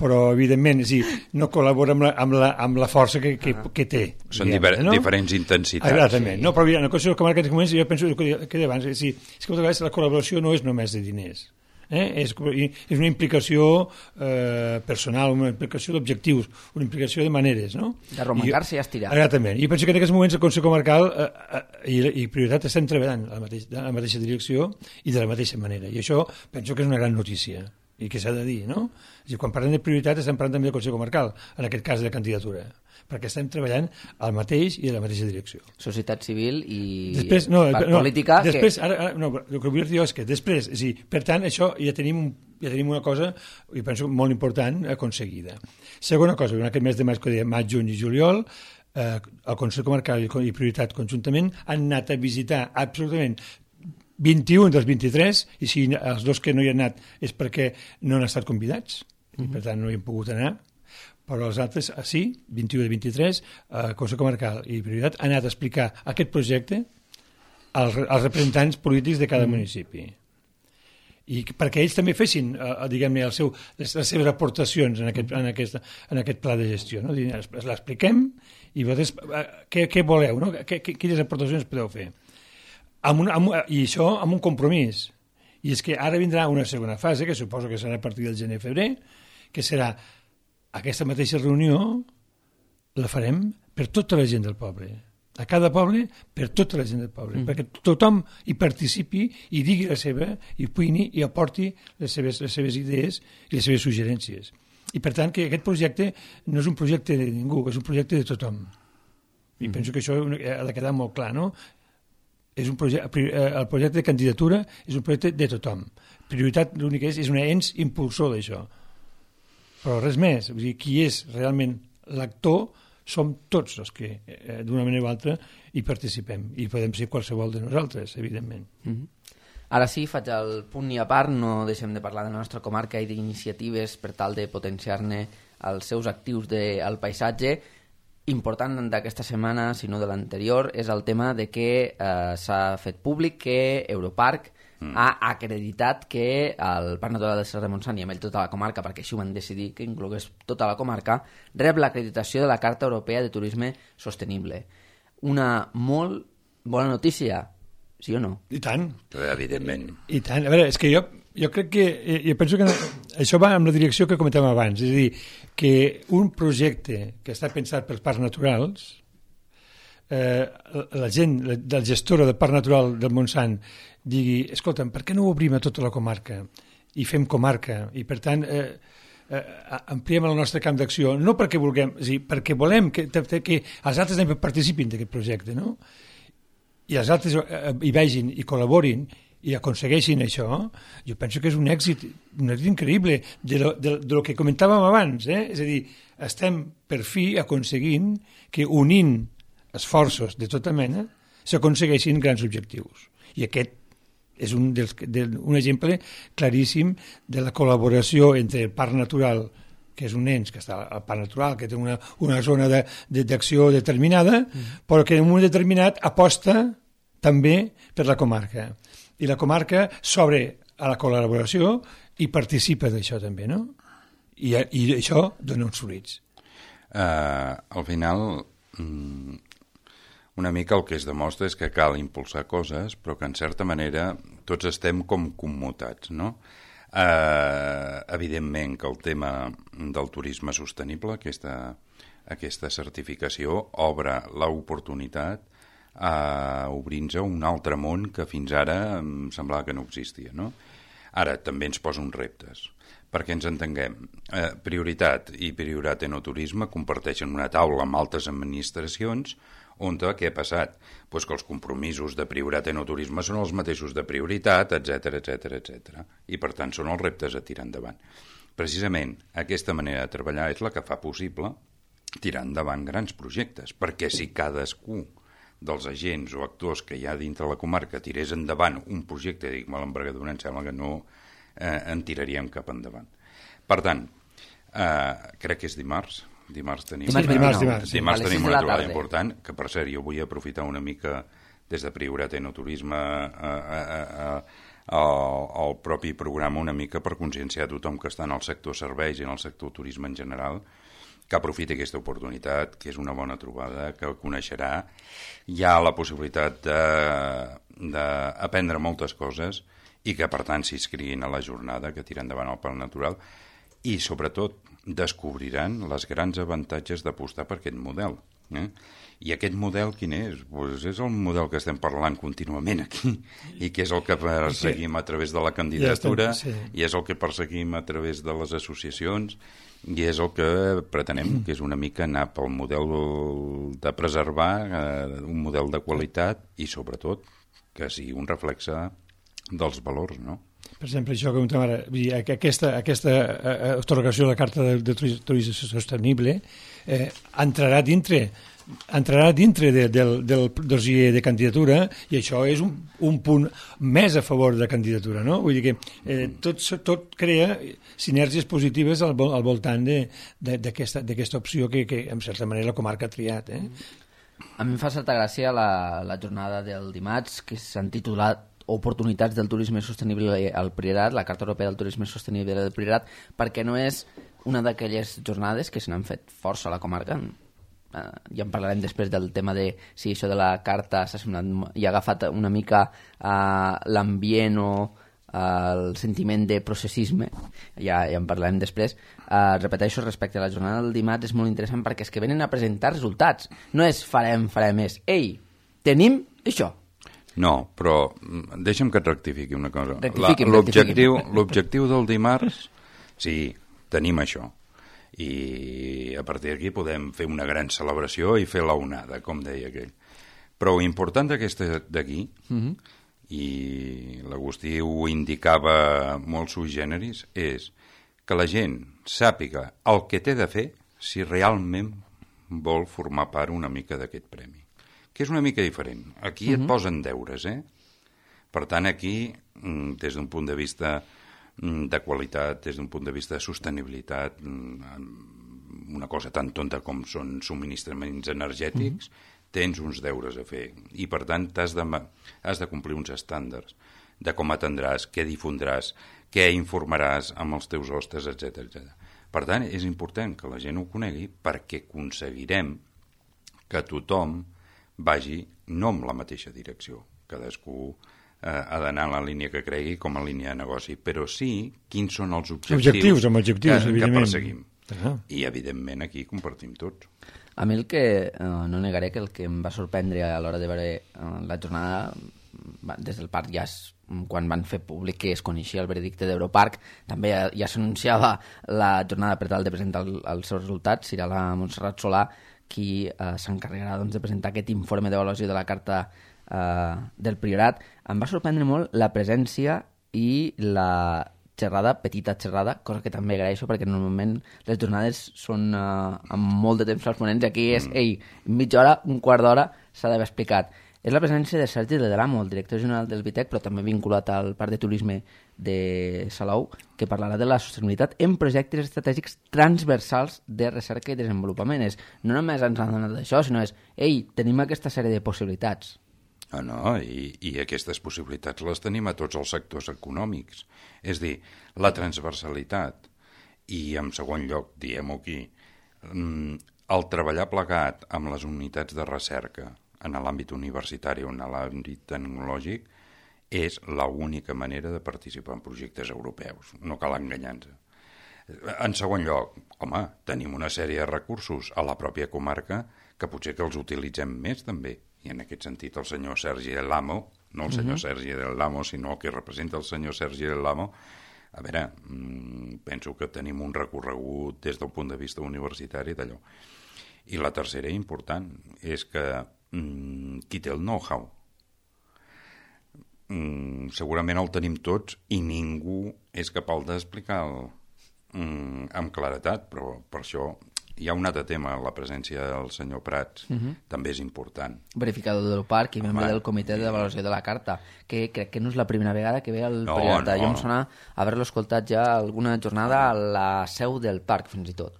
però evidentment és dir, no col·labora amb la, amb la, amb la força que, que, que té.
Són
diguem,
diver
no?
diferents intensitats.
Exactament.
Sí.
No, però mira, en el Consell Comarcal en aquests moments jo penso que, que abans, és, dir, és que moltes vegades la col·laboració no és només de diners. Eh? És, és una implicació eh, personal, una implicació d'objectius, una implicació de maneres, no?
De romancar-se i estirar.
Exactament. I penso que en aquests moments el Consell Comarcal eh, eh, i, i prioritat estem treballant a la, mateix, a la mateixa direcció i de la mateixa manera. I això penso que és una gran notícia i que s'ha de dir, no? És dir, quan parlem de prioritat estem parlant també del Consell Comarcal, en aquest cas de candidatura, perquè estem treballant al mateix i a la mateixa direcció.
Societat civil i
Després, no,
part
no,
política...
després,
que...
ara, ara, no, el que vull dir és que després, és dir, per tant, això ja tenim, un, ja tenim una cosa, i penso molt important, aconseguida. Segona cosa, en aquest mes de maig, que deia maig, juny i juliol, eh, el Consell Comarcal i, i Prioritat conjuntament han anat a visitar absolutament vint-i-un dels vint-i-tres, i si els dos que no hi han anat és perquè no han estat convidats, mm-hmm. i per tant no hi han pogut anar, però els altres, sí, vint-i-u de vint-i-tres, el Consell Comarcal i Prioritat han anat a explicar aquest projecte als, als representants polítics de cada mm. municipi. I perquè ells també fessin, eh, diguem-ne, el seu, les, les seves aportacions en aquest, en, aquest, en aquest pla de gestió. No? L'expliquem i vosaltres, eh, què, què voleu, no? Què, quines aportacions podeu fer? Amb un, amb, I això amb un compromís. I és que ara vindrà una segona fase, que suposo que serà a partir del gener-febrer, que serà aquesta mateixa reunió la farem per tota la gent del poble. A cada poble, per tota la gent del poble. Mm. Perquè tothom hi participi i digui la seva, i opini i aporti les seves, les seves idees i les seves suggerències. I per tant que aquest projecte no és un projecte de ningú, és un projecte de tothom. I mm. penso que això ha de quedar molt clar, no? És un projecte, el projecte de candidatura és un projecte de tothom. Prioritat l'únic que és, és un ens impulsor d'això. Però res més, vull dir, qui és realment l'actor som tots els que eh, d'una manera o altra hi participem i podem ser qualsevol de nosaltres, evidentment.
Mm-hmm. Ara sí, faig el punt i a part, no deixem de parlar de la nostra comarca i d'iniciatives per tal de potenciar-ne els seus actius del paisatge. Important d'aquesta setmana, si no de l'anterior, és el tema de que eh, s'ha fet públic que Europarc Mm. ha acreditat que el Parc Natural del Serrat de Montsant i amb ell tota la comarca, perquè així ho van decidir que inclogués tota la comarca, rep l'acreditació de la Carta Europea de Turisme Sostenible. Una molt bona notícia, sí o no?
I tant.
Evidentment.
I tant. A veure, és que jo, jo crec que... Jo penso que això va amb la direcció que comentàvem abans, és a dir, que un projecte que està pensat pels parcs naturals, eh, la gent, la, la gestora del Parc Natural del Montsant digui, escolta'm, per què no ho obrim a tota la comarca i fem comarca i per tant eh, eh, ampliem el nostre camp d'acció, no perquè vulguem, és a dir, perquè volem que, que els altres participin d'aquest projecte, no? I els altres eh, hi vegin i col·laborin i aconsegueixin això, jo penso que és un èxit, un èxit increïble de lo, de, de lo que comentàvem abans, eh? És a dir, estem per fi aconseguint que unint esforços de tota mena s'aconsegueixin grans objectius. I aquest és un, dels, de, un exemple claríssim de la col·laboració entre el Parc Natural, que és un ens que està al Parc Natural, que té una, una zona d'acció de, de, determinada, mm. però que en un moment determinat aposta també per la comarca. I la comarca s'obre a la col·laboració i participa d'això també, no? I, i això dona uns fruits.
Uh, al final, una mica el que es demostra és que cal impulsar coses, però que en certa manera tots estem com commutats, no? Uh, evidentment que el tema del turisme sostenible, aquesta, aquesta certificació, obre l'oportunitat a obrir-nos un altre món que fins ara em semblava que no existia, no? Ara també ens posa uns reptes, perquè ens entenguem. Eh, prioritat i prioritat enoturisme comparteixen una taula amb altres administracions on què ha passat? Pues que els compromisos de prioritat enoturisme són els mateixos de prioritat, etcètera, etcètera, etcètera. I per tant són els reptes a tirar endavant. Precisament aquesta manera de treballar és la que fa possible tirar endavant grans projectes, perquè si cadascú dels agents o actors que hi ha dintre la comarca tirés endavant un projecte, dic, me l'envergadura, em sembla que no eh, en tiraríem cap endavant. Per tant, eh, crec que és dimarts, dimarts tenim,
dimarts,
una,
dimarts,
no,
dimarts,
dimarts tenim una trobada important, que per cert jo vull aprofitar una mica des de Prioritat Enoturisme a, a, a, a, al propi programa una mica per conscienciar tothom que està en el sector serveis i en el sector turisme en general, que aprofiti aquesta oportunitat, que és una bona trobada, que coneixerà. Hi ha la possibilitat d'aprendre moltes coses i que, per tant, s'inscriguin a la jornada que tira endavant el Parc Natural i, sobretot, descobriran els grans avantatges d'apostar per aquest model. Eh? I aquest model quin és? Pues és el model que estem parlant contínuament aquí i que és el que perseguim a través de la candidatura, ja estem, sí. I és el que perseguim a través de les associacions i és el que pretenem, que és una mica anar pel model de preservar, eh, un model de qualitat i, sobretot, que sigui un reflexe dels valors, no?
Per exemple, això que comentàvem ara, aquesta, aquesta atorgació de la Carta de, de Turisme Sostenible eh, entrarà dintre entrarà dintre de, del, del dossier de candidatura i això és un, un punt més a favor de la candidatura, no? Vull dir que eh, tot, tot crea sinergies positives al, al voltant d'aquesta opció que, que, en certa manera, la comarca ha triat. Eh?
A mi em fa certa gràcia la, la jornada del dimarts, que s'han titulat Oportunitats del turisme sostenible al Priorat, la Carta Europea del Turisme Sostenible del Priorat, perquè no és una d'aquelles jornades que se n'han fet força a la comarca. Uh, ja en parlarem després del tema de si això de la carta s'ha semblat i ha agafat una mica uh, l'ambient o uh, el sentiment de processisme, ja, ja en parlarem després. Uh, repeteixo, respecte a la jornada del dimarts és molt interessant perquè és que venen a presentar resultats, no és farem, farem, és ei, tenim això.
No, però deixa'm que et rectifiqui una cosa.
L'objectiu
l'objectiu del dimarts, sí, tenim això. I a partir d'aquí podem fer una gran celebració i fer la onada, com deia aquell. Però l'important d'aquesta d'aquí, uh-huh. i l'Agustí ho indicava molt sui generis, és que la gent sàpiga el que té de fer si realment vol formar part una mica d'aquest premi. Que és una mica diferent. Aquí uh-huh. et posen deures, eh? Per tant, aquí, des d'un punt de vista de qualitat, des d'un punt de vista de sostenibilitat, una cosa tan tonta com són subministraments energètics, uh-huh. tens uns deures a fer. I, per tant, has de, has de complir uns estàndards de com atendràs, què difondràs, què informaràs amb els teus hostes, etcètera, etcètera. Per tant, és important que la gent ho conegui perquè aconseguirem que tothom vagi no amb la mateixa direcció. Cadascú eh, ha d'anar en la línia que cregui com a línia de negoci, però sí quins són els objectius,
objectius, amb objectius
que, que perseguim.
Ah.
I, evidentment, aquí compartim tots.
A mi el que, eh, no negaré que el que em va sorprendre a l'hora de veure eh, la jornada, des del parc ja es, quan van fer públic que es coneixia el veredicte d'Europarc, també ja, ja s'anunciava la jornada per tal de presentar el, els seus resultats. Serà la Montserrat Solà qui eh, s'encarregarà doncs, de presentar aquest informe d'avaluació de la Carta eh, del Priorat, em va sorprendre molt la presència i la xerrada, petita xerrada, cosa que també agraeixo perquè normalment les jornades són uh, amb molt de temps als ponents i aquí és, ei, mitja hora, un quart d'hora s'ha d'haver explicat. És la presència de Sergi de Delamo, el director general del Vitec, però també vinculat al Parc de Turisme de Salou, que parlarà de la sostenibilitat en projectes estratègics transversals de recerca i desenvolupament. És, no només ens han donat això, sinó és, ei, tenim aquesta sèrie de possibilitats.
Ah, no, i, i aquestes possibilitats les tenim a tots els sectors econòmics. És dir, la transversalitat i, en segon lloc, diguem-ho aquí, el treballar plegat amb les unitats de recerca en l'àmbit universitari o en l'àmbit tecnològic és l'única manera de participar en projectes europeus. No cal enganyar-nos. En segon lloc, home, tenim una sèrie de recursos a la pròpia comarca que potser que els utilitzem més també. I en aquest sentit el senyor Sergi del Lamo, no el senyor uh -huh. Sergi del Lamo, sinó el que representa el senyor Sergi del Lamo, a veure, mmm, penso que tenim un recorregut des del punt de vista universitari d'allò. I la tercera important és que mmm, qui té el know-how mmm, segurament el tenim tots i ningú és capaç d'explicar mmm, amb claretat, però per això hi ha un altre tema, la presència del senyor Prats, uh-huh. també és important.
Verificador del parc i membre del comitè de valoració de la carta, que crec que no és la primera vegada que ve al no, Priorat. No. Jo em sona haver-lo escoltat ja alguna jornada a la seu del parc, fins i tot.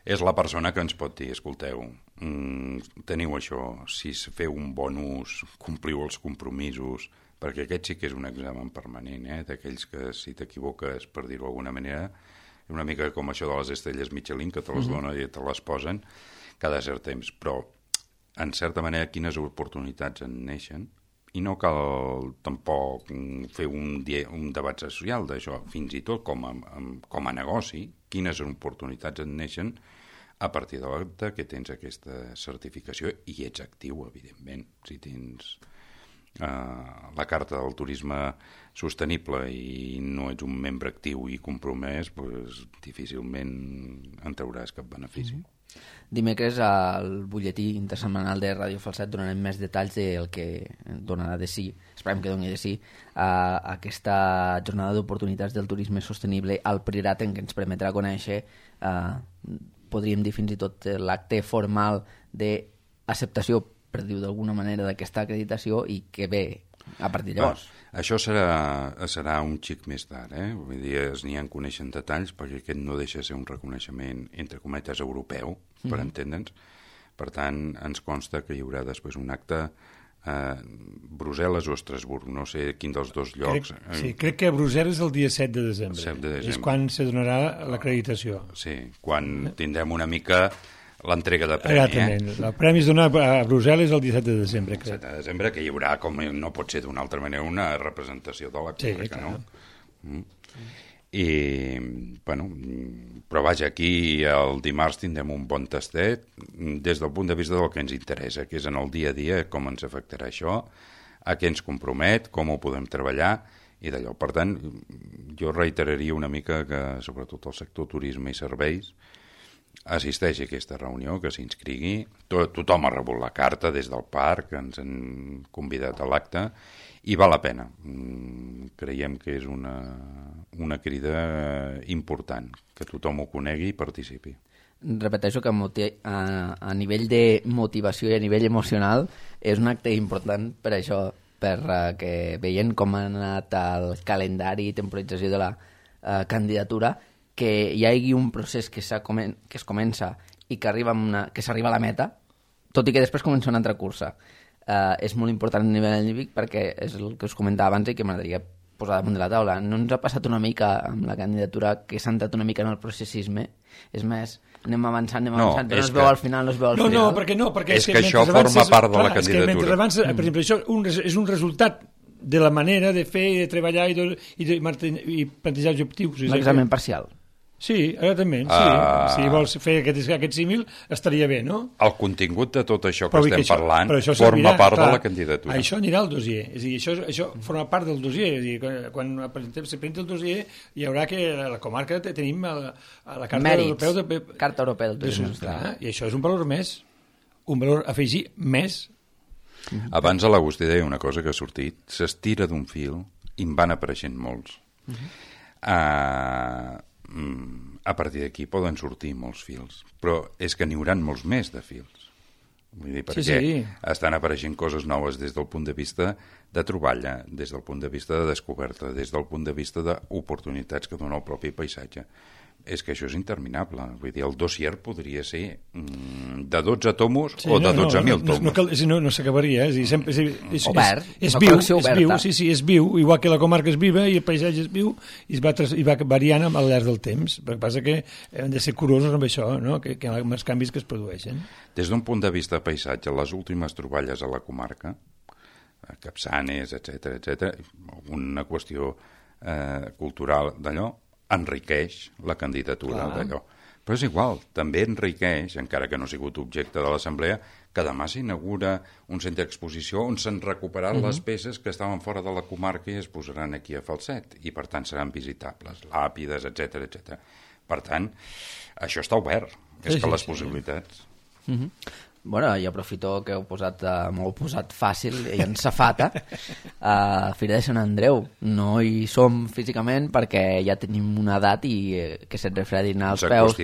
És la persona que ens pot dir, escolteu, mm, teniu això, si feu un bon ús, compliu els compromisos, perquè aquest sí que és un examen permanent, eh? D'aquells que si t'equivoques, per dir-ho d'alguna manera, una mica com això de les estrelles Michelin, que te les donen i te les posen cada cert temps. Però, en certa manera, quines oportunitats en neixen? I no cal tampoc fer un, un debat social d'això, fins i tot com a, com a negoci, quines oportunitats en neixen a partir de l'acte que tens aquesta certificació i ets actiu, evidentment. Si tens Uh, la carta del turisme sostenible i no ets un membre actiu i compromès, pues, difícilment en trauràs cap benefici. Mm-hmm.
Dimecres al butlletí intersetmanal de Ràdio Falset donarem més detalls del que donarà de si, esperem que doni de si, a aquesta jornada d'oportunitats del turisme sostenible al Priorat, en què ens permetrà conèixer, uh, podríem dir fins i tot l'acte formal d'acceptació, per dir-ho d'alguna manera, d'aquesta acreditació i que ve a partir de llavors.
Va, això serà, serà un xic més tard, eh? Vull dir, es n'hi ha en coneixen detalls, perquè aquest no deixa de ser un reconeixement, entre cometes, europeu, per mm. entendre'ns. Per tant, ens consta que hi haurà després un acte a Brussel·les o Estrasburg, no sé quin dels dos llocs.
Crec, sí, crec que a Brussel·les el dia set de desembre.
set de desembre.
És quan se donarà l'acreditació.
Sí, quan tindrem una mica l'entrega de premi.
Exactament. Eh? El premi es dona a Brussel·les el disset de desembre, crec.
disset de desembre, que hi haurà, com no pot ser d'una altra manera, una representació de la comarca, sí, no? Mm. I, bueno, però vaja, aquí el dimarts tindrem un bon tastet des del punt de vista del que ens interessa, que és en el dia a dia, com ens afectarà això, a què ens compromet, com ho podem treballar, i d'allò. Per tant, jo reiteraria una mica que, sobretot el sector turisme i serveis, assisteixi a aquesta reunió, que s'inscrigui. Tot, tothom ha rebut la carta des del parc, ens han convidat a l'acte, i val la pena. Creiem que és una, una crida important, que tothom ho conegui i participi.
Repeteixo que a, a nivell de motivació i a nivell emocional és un acte important per això, perquè veient com ha anat el calendari i temporització de la uh, candidatura, que hi hagi un procés que, que es comença i que arriba una, que s'arriba a la meta, tot i que després comença una altra cursa. Uh, és molt important a nivell anímic perquè és el que us comentava abans i que m'agradaria posar damunt de la taula. No ens ha passat una mica amb la candidatura que s'ha entrat una mica en el processisme? És més, anem avançant, anem avançant, no, però no es veu que... al final, no es veu al
no,
final.
No, perquè no, perquè
és, és que, que això forma avances, part de clar, la candidatura. És que mentre avances,
per exemple, això un, és un resultat de la manera de fer i de treballar i de, i de i plantejar objectius.
L'examen parcial.
Sí, exactament. Sí. Uh... Si vols fer aquest, aquest símil, estaria bé, no?
El contingut de tot això que
però
estem
que això,
parlant
això
forma
servirà,
part
clar,
de la candidatura.
Això anirà al dossier. És a dir, això, això forma part del dossier. És a dir, quan presentem, se presenta el dossier, hi haurà que a la comarca tenim a la, a la Carta
Mèrits,
Europea de...
Carta Europea del Turisme.
I això és un valor més, un valor a afegir més
Mm-hmm. Abans a l'Agustí deia una cosa que ha sortit, s'estira d'un fil i en van apareixent molts. Mm-hmm. Uh, a partir d'aquí poden sortir molts fils, però és que n'hi hauran molts més de fils. Vull dir, perquè sí, sí. estan apareixent coses noves des del punt de vista de troballa, des del punt de vista de descoberta, des del punt de vista d'oportunitats que dona el propi paisatge. És que això és interminable. Vull dir, el dossier podria ser mm, de dotze tomos sí, o de dotze mil no, no, tomos.
No, no, no, no s'acabaria. És, és, és, és,
obert,
és, és viu, és viu, sí, sí, és viu, igual que la comarca és viva i el paisatge és viu i es va, i va variant al llarg del temps. El que passa que hem de ser curosos amb això, no? que, que amb els canvis que es produeixen.
Des d'un punt de vista de paisatge, les últimes troballes a la comarca, Capçanes, etcètera, etcètera, una qüestió eh, cultural d'allò, enriqueix la candidatura d'allò. Però és igual, també enriqueix, encara que no ha sigut objecte de l'assemblea, que demà s'inaugura un centre d'exposició on s'han recuperat uh-huh. les peces que estaven fora de la comarca i es posaran aquí a Falset, i per tant seran visitables, làpides, etcètera, etcètera. Per tant, això està obert, és sí, que les sí, possibilitats...
Sí. Uh-huh. Bueno, i aprofito que heu posat, uh, m'heu posat fàcil i en safata a uh, Fira de Sant Andreu. No hi som físicament perquè ja tenim una edat i uh, que se't refredin als peus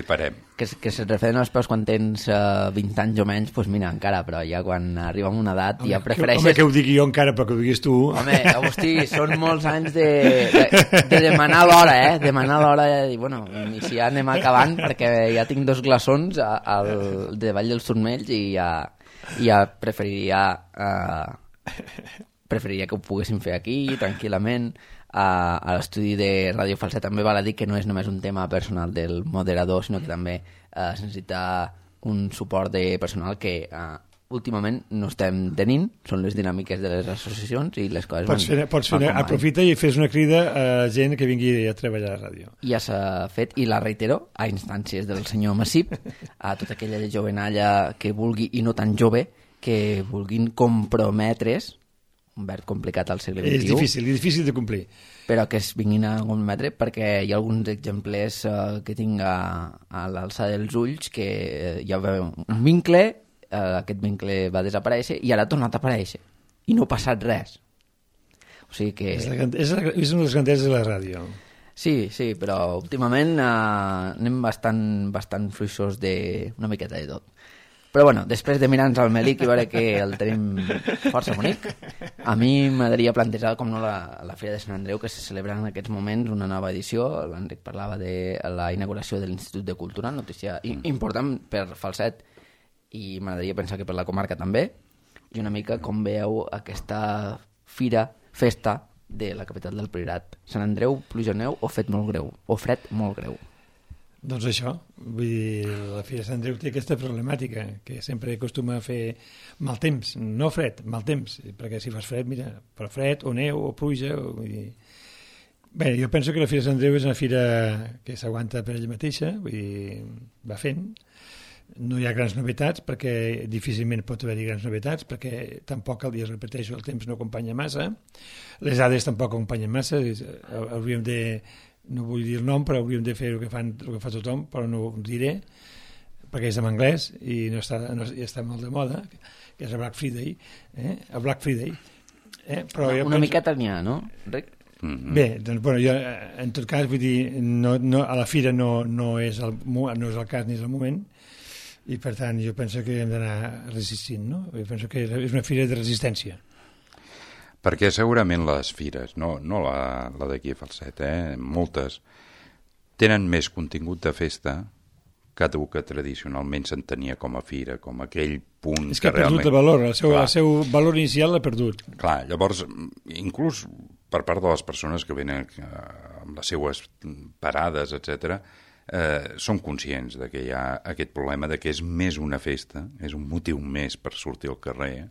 que, que se't refredin als peus quan tens uh, vint anys o menys, doncs mira, encara, però ja quan arriba a una edat home, ja prefereixes...
Home, que ho digui jo encara, però que ho diguis tu.
Home, Agustí, són molts anys de, de, de demanar l'hora, eh? Demanar l'hora de dir, bueno, i si ja anem acabant perquè ja tinc dos glaçons al, de Vall dels Turmells i ja, ja preferiria eh, preferiria que ho poguéssim fer aquí tranquil·lament. Uh, a l'estudi de Ràdio Falset també val a dir que no és només un tema personal del moderador, sinó que també uh, es necessita un suport de personal que uh, últimament no estem tenint, són les dinàmiques de les associacions i les coses
pots fer,
van,
pots fer,
van
aprofita i fes una crida a gent que vingui a treballar a la ràdio.
Ja s'ha fet i la reitero a instàncies del senyor Massip, a tota aquella jovenalla que vulgui, i no tan jove, que vulguin comprometre's, un verb complicat al segle vint-i-u.
És difícil, és difícil de complir.
Però que es vinguin a comprometre perquè hi ha alguns exemplers uh, que tinc a, a l'alçada dels ulls que uh, hi ha un vincle, uh, aquest vincle va desaparèixer i ara ha tornat a aparèixer. I no ha passat res. O sigui que...
És, la, és, la, és una de les grandeses de la ràdio.
Sí, sí, però últimament uh, anem bastant, bastant fluixos d'una miqueta de tot. Però bueno, després de mirar-nos al Melic i veure que el tenim força bonic, a mi m'agradaria plantejar, com no, la, la Fira de Sant Andreu, que se celebra en aquests moments una nova edició. L'Enric parlava de la inauguració de l'Institut de Cultura, notícia important per Falset, i m'agradaria pensar que per la comarca també, i una mica com veieu aquesta fira, festa de la capital del Priorat. Sant Andreu, pluja o neu o fet molt greu, o fred molt greu.
Doncs això, vull dir, la Fira de Sant Andreu té aquesta problemàtica, que sempre acostuma a fer mal temps, no fred, mal temps, perquè si fas fred, mira, però fred, o neu, o pluja, o, vull dir... Bé, jo penso que la Fira de Sant Andreu és una fira que s'aguanta per ella mateixa, vull dir, va fent, no hi ha grans novetats, perquè difícilment pot haver-hi grans novetats, perquè tampoc, el dia repeteixo, el temps no acompanya massa, les dades tampoc acompanyen massa, hauríem de... no vull dir el nom, però hauríem de fer el que, fan, el que fa tothom, però no ho diré, perquè és en anglès i no està, no, ja està molt de moda, que és el Black Friday, eh? el Black Friday. Eh? Però
una
penso...
miqueta n'hi ha, no, Enric?
Mm-hmm. Bé, doncs, bueno, jo, en tot cas, vull dir, no, no, a la fira no, no, és el, no és el cas ni és el moment, i per tant jo penso que hem d'anar resistint, no? Jo penso que és una fira de resistència.
Perquè segurament les fires, no, no la, la d'aquí a Falset, eh? moltes, tenen més contingut de festa que el que tradicionalment s'entenia com a fira, com aquell punt
és que, que ha
realment...
perdut el valor, el seu, el seu valor inicial l'ha perdut.
Clar, llavors, inclús per part de les persones que venen amb les seues parades, etcètera, eh, són conscients de que hi ha aquest problema de que és més una festa, és un motiu més per sortir al carrer,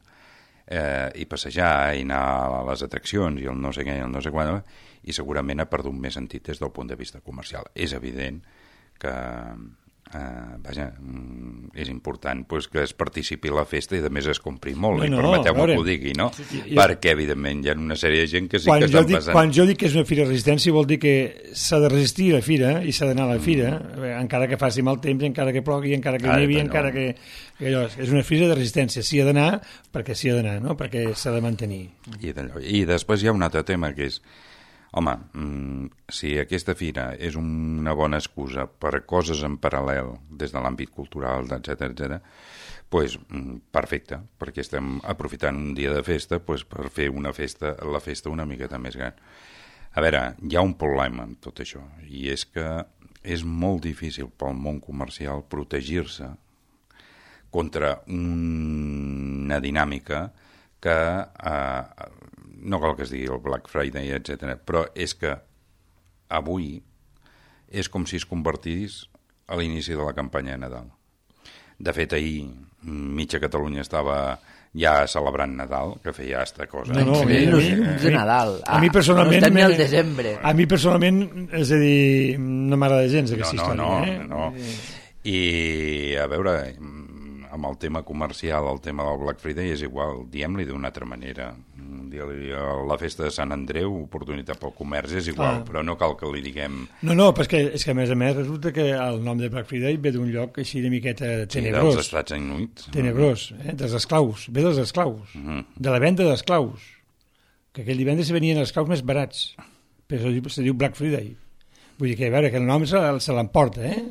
Eh, i passejar i anar a les atraccions i el no sé què i el no sé quan, i segurament ha perdut més sentit des del punt de vista comercial. És evident que Uh, vaja, mm, és important pues, que es participi a la festa i a més es compri molt,
no,
i
no,
permeteu-me que ho digui, no? Sí, sí, jo... Perquè, evidentment, hi ha una sèrie de gent que sí
quan
que estan
dic,
passant...
Quan jo dic que és una fira de resistència vol dir que s'ha de resistir a la fira i s'ha d'anar a la fira, mm. encara que faci mal temps, encara que plogui, encara que nevi, no. encara que... que allò, és una fira de resistència, s'hi ha d'anar perquè s'hi ha d'anar, no? Perquè s'ha de mantenir.
I, I després hi ha un altre tema que és home, mm, si aquesta fira és una bona excusa per coses en paral·lel des de l'àmbit cultural, etcètera, etcètera, pues, mm, perfecte, perquè estem aprofitant un dia de festa pues, per fer una festa, la festa una miqueta més gran. A veure, hi ha un problema amb tot això, i és que és molt difícil pel món comercial protegir-se contra una dinàmica que... Eh, no cal que es digui el Black Friday, etcètera, però és que avui és com si es convertís a l'inici de la campanya de Nadal. De fet, ahir mitja Catalunya estava ja celebrant Nadal, que feia esta cosa.
No, no, a mi, a mi, de Nadal.
A, a mi personalment...
No estem ni al desembre.
A mi personalment, és a dir, no m'agrada gens aquesta
no, no,
història.
No,
eh?
no. I, a veure, amb el tema comercial, el tema del Black Friday és igual, diem-li d'una altra manera. Dir-li la festa de Sant Andreu, oportunitat pel comerç, és igual, ah. però no cal que li diguem...
No, no, però és que, és que a més a més resulta que el nom de Black Friday ve d'un lloc així de miqueta tenebrós.
Sí, dels Estats Units.
Tenebrós, eh? dels esclaus, ve dels esclaus, uh -huh. de la venda d'esclaus, que aquell divendres venien els esclaus més barats, però se diu Black Friday. Vull dir que, a veure, que el nom se, se l'emporta, eh?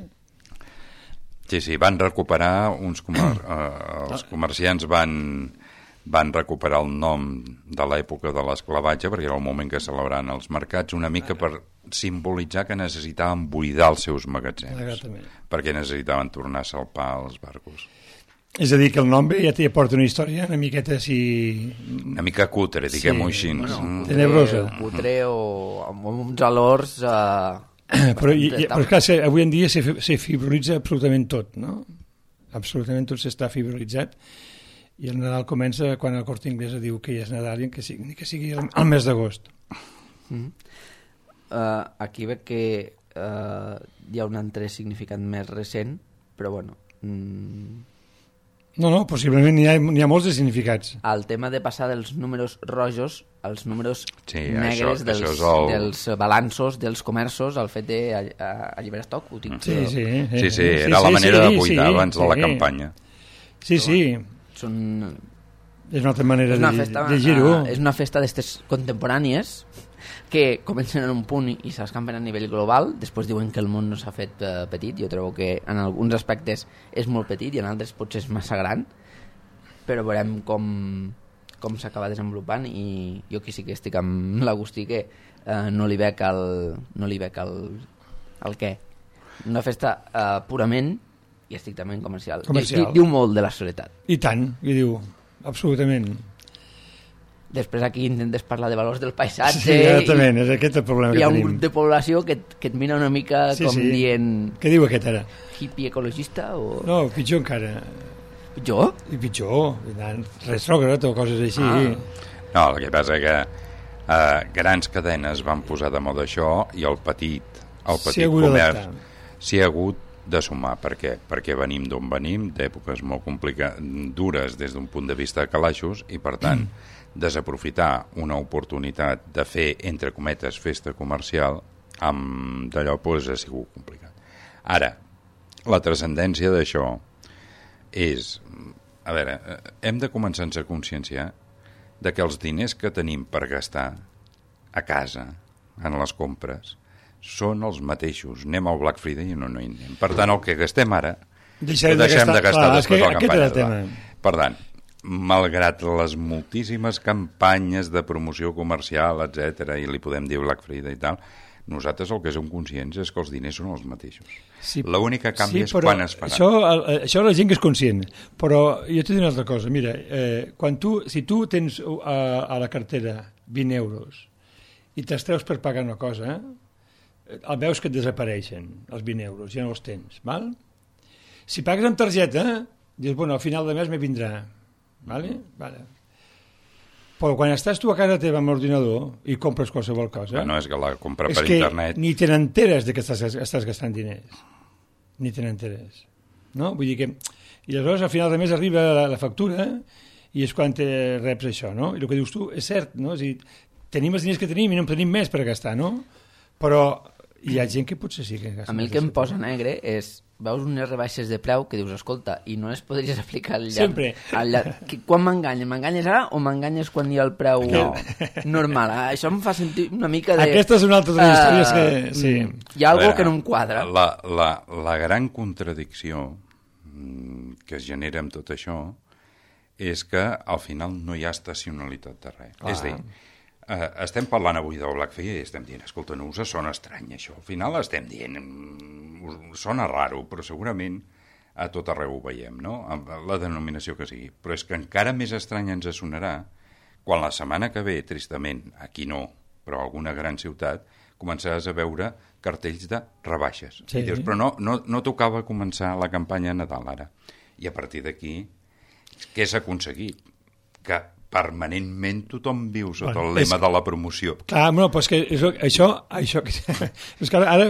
Sí, sí, van recuperar uns comer... eh, els comerciants van, van recuperar el nom de l'època de l'esclavatge, perquè era el moment que celebraven els mercats, una mica per simbolitzar que necessitaven buidar els seus magatzems,
Exactament.
perquè necessitaven tornar a salpar els barcos.
És a dir, que el nom ja t'hi aporta una història una miqueta així...
Una mica cutre, diguem-ho
sí,
així.
Bueno,
mm.
tenebrosa.
Cutre o amb uns valors... Eh...
Però, i, i, però clar, avui en dia se, se fibrolitza absolutament tot, no? Absolutament tot s'està fibrolitzat i el Nadal comença quan el Corte Inglés diu que ja és Nadal i que sigui, ni que sigui el, el mes d'agost.
Mm. Uh, aquí veig que uh, hi ha un altre significat més recent, però bueno... Mm...
No, no, possiblement n'hi ha, n'hi ha molts de significats.
El tema de passar dels números rojos als números
sí,
negres
això,
dels,
això el...
dels balanços, dels comerços, el fet d'alliberar estoc. Ho tinc,
sí, sí, sí,
sí, sí, era sí, la manera sí, de buidar sí, abans sí, de la campanya.
Sí, sí.
Són...
És una altra manera
una
de,
festa,
de gir-ho.
Uh, és una festa d'estes contemporànies que comencen en un punt i s'escampen a nivell global. Després diuen que el món no s'ha fet uh, petit. Jo trobo que en alguns aspectes és molt petit i en altres potser és massa gran, però veurem com, com s'acaba desenvolupant i jo aquí sí que estic amb l'Agustí que uh, no li veig el, no li veig el, el què. Una festa uh, purament i estrictament comercial.
comercial.
I, diu molt de la soledat.
I tant, i diu, absolutament.
Després aquí intentes parlar de valors del paisatge.
Sí, exactament, és aquest el problema que tenim.
Hi ha un grup de població que, que et mira una mica sí, com sí. dient...
Què diu aquest ara?
Hippie ecologista o...
No, pitjor encara.
Pitjor?
I pitjor, retrògrad o coses així.
Ah. No, el que passa que eh, grans cadenes van posar de moda això i el petit, el petit comerç s'hi ha hagut de sumar. Per què? Perquè venim d'on venim, d'èpoques molt complicades, dures des d'un punt de vista de calaixos, i per tant... Mm. desaprofitar una oportunitat de fer, entre cometes, festa comercial, amb d'allò pues, ha sigut complicat. Ara, la transcendència d'això és... A veure, hem de començar a ser consciència de que els diners que tenim per gastar a casa, en les compres, són els mateixos. Anem al Black Friday i no, no hi anem. Per tant, el que gastem ara,
deixem,
ho deixem de gastar, de gastar
clar,
després de la campanya.
tema.
Per tant, malgrat les moltíssimes campanyes de promoció comercial, etcètera, i li podem dir Black Friday i tal, nosaltres el que som conscients és que els diners són els mateixos. Sí, l'única canvi sí, és quan es farà.
Això, això la gent que és conscient, però jo t'he dit una altra cosa. Mira, eh, quan tu, si tu tens a, a la cartera vint euros i te'ls treus per pagar una cosa, eh, el veus que et desapareixen, els vint euros, ja no els tens, val? Si pagues amb targeta, dius, bueno, al final de mes me vindrà. Vale? Vale. Però quan estàs tu a casa teva amb l'ordinador i compres qualsevol cosa...
Bueno, és que la compra per
és que
internet...
ni te n'enteres de que estàs, estàs gastant diners. ni te n'enteres. No? Vull dir que... I aleshores, al final de mes arriba la, la factura i és quan te reps això, no? I el que dius tu és cert, no? És a dir, tenim els diners que tenim i no en tenim més per gastar, no? Però hi ha gent que potser sí que gasta.
A mi el que em posa negre és... Veus unes rebaixes de preu que dius, escolta, i no les podries aplicar al llarg...
Sempre.
Al llarg. Quan m'enganyes? M'enganyes ara o m'enganyes quan hi ha el preu no. normal? Ah, això em fa sentir una mica de...
Aquesta és una altra de les uh, històries que... Sí.
Hi ha alguna cosa que no em quadra.
La, la, la gran contradicció que es genera amb tot això és que al final no hi ha estacionalitat de res. Ah. És a dir, Uh, estem parlant avui del Black Friday i estem dient, escolta, no us sona estrany això. Al final estem dient, us sona raro, però segurament a tot arreu ho veiem, no? La denominació que sigui. Però és que encara més estrany ens sonarà quan la setmana que ve, tristament, aquí no, però a alguna gran ciutat, començaràs a veure cartells de rebaixes. Sí. I dius, però no, no, no tocava començar la campanya de Nadal ara. I a partir d'aquí, què s'ha aconseguit? Que permanentment tothom viu sota bueno, el lema és... de la promoció.
Clar, no, però és que és, això... això és que ara, ara,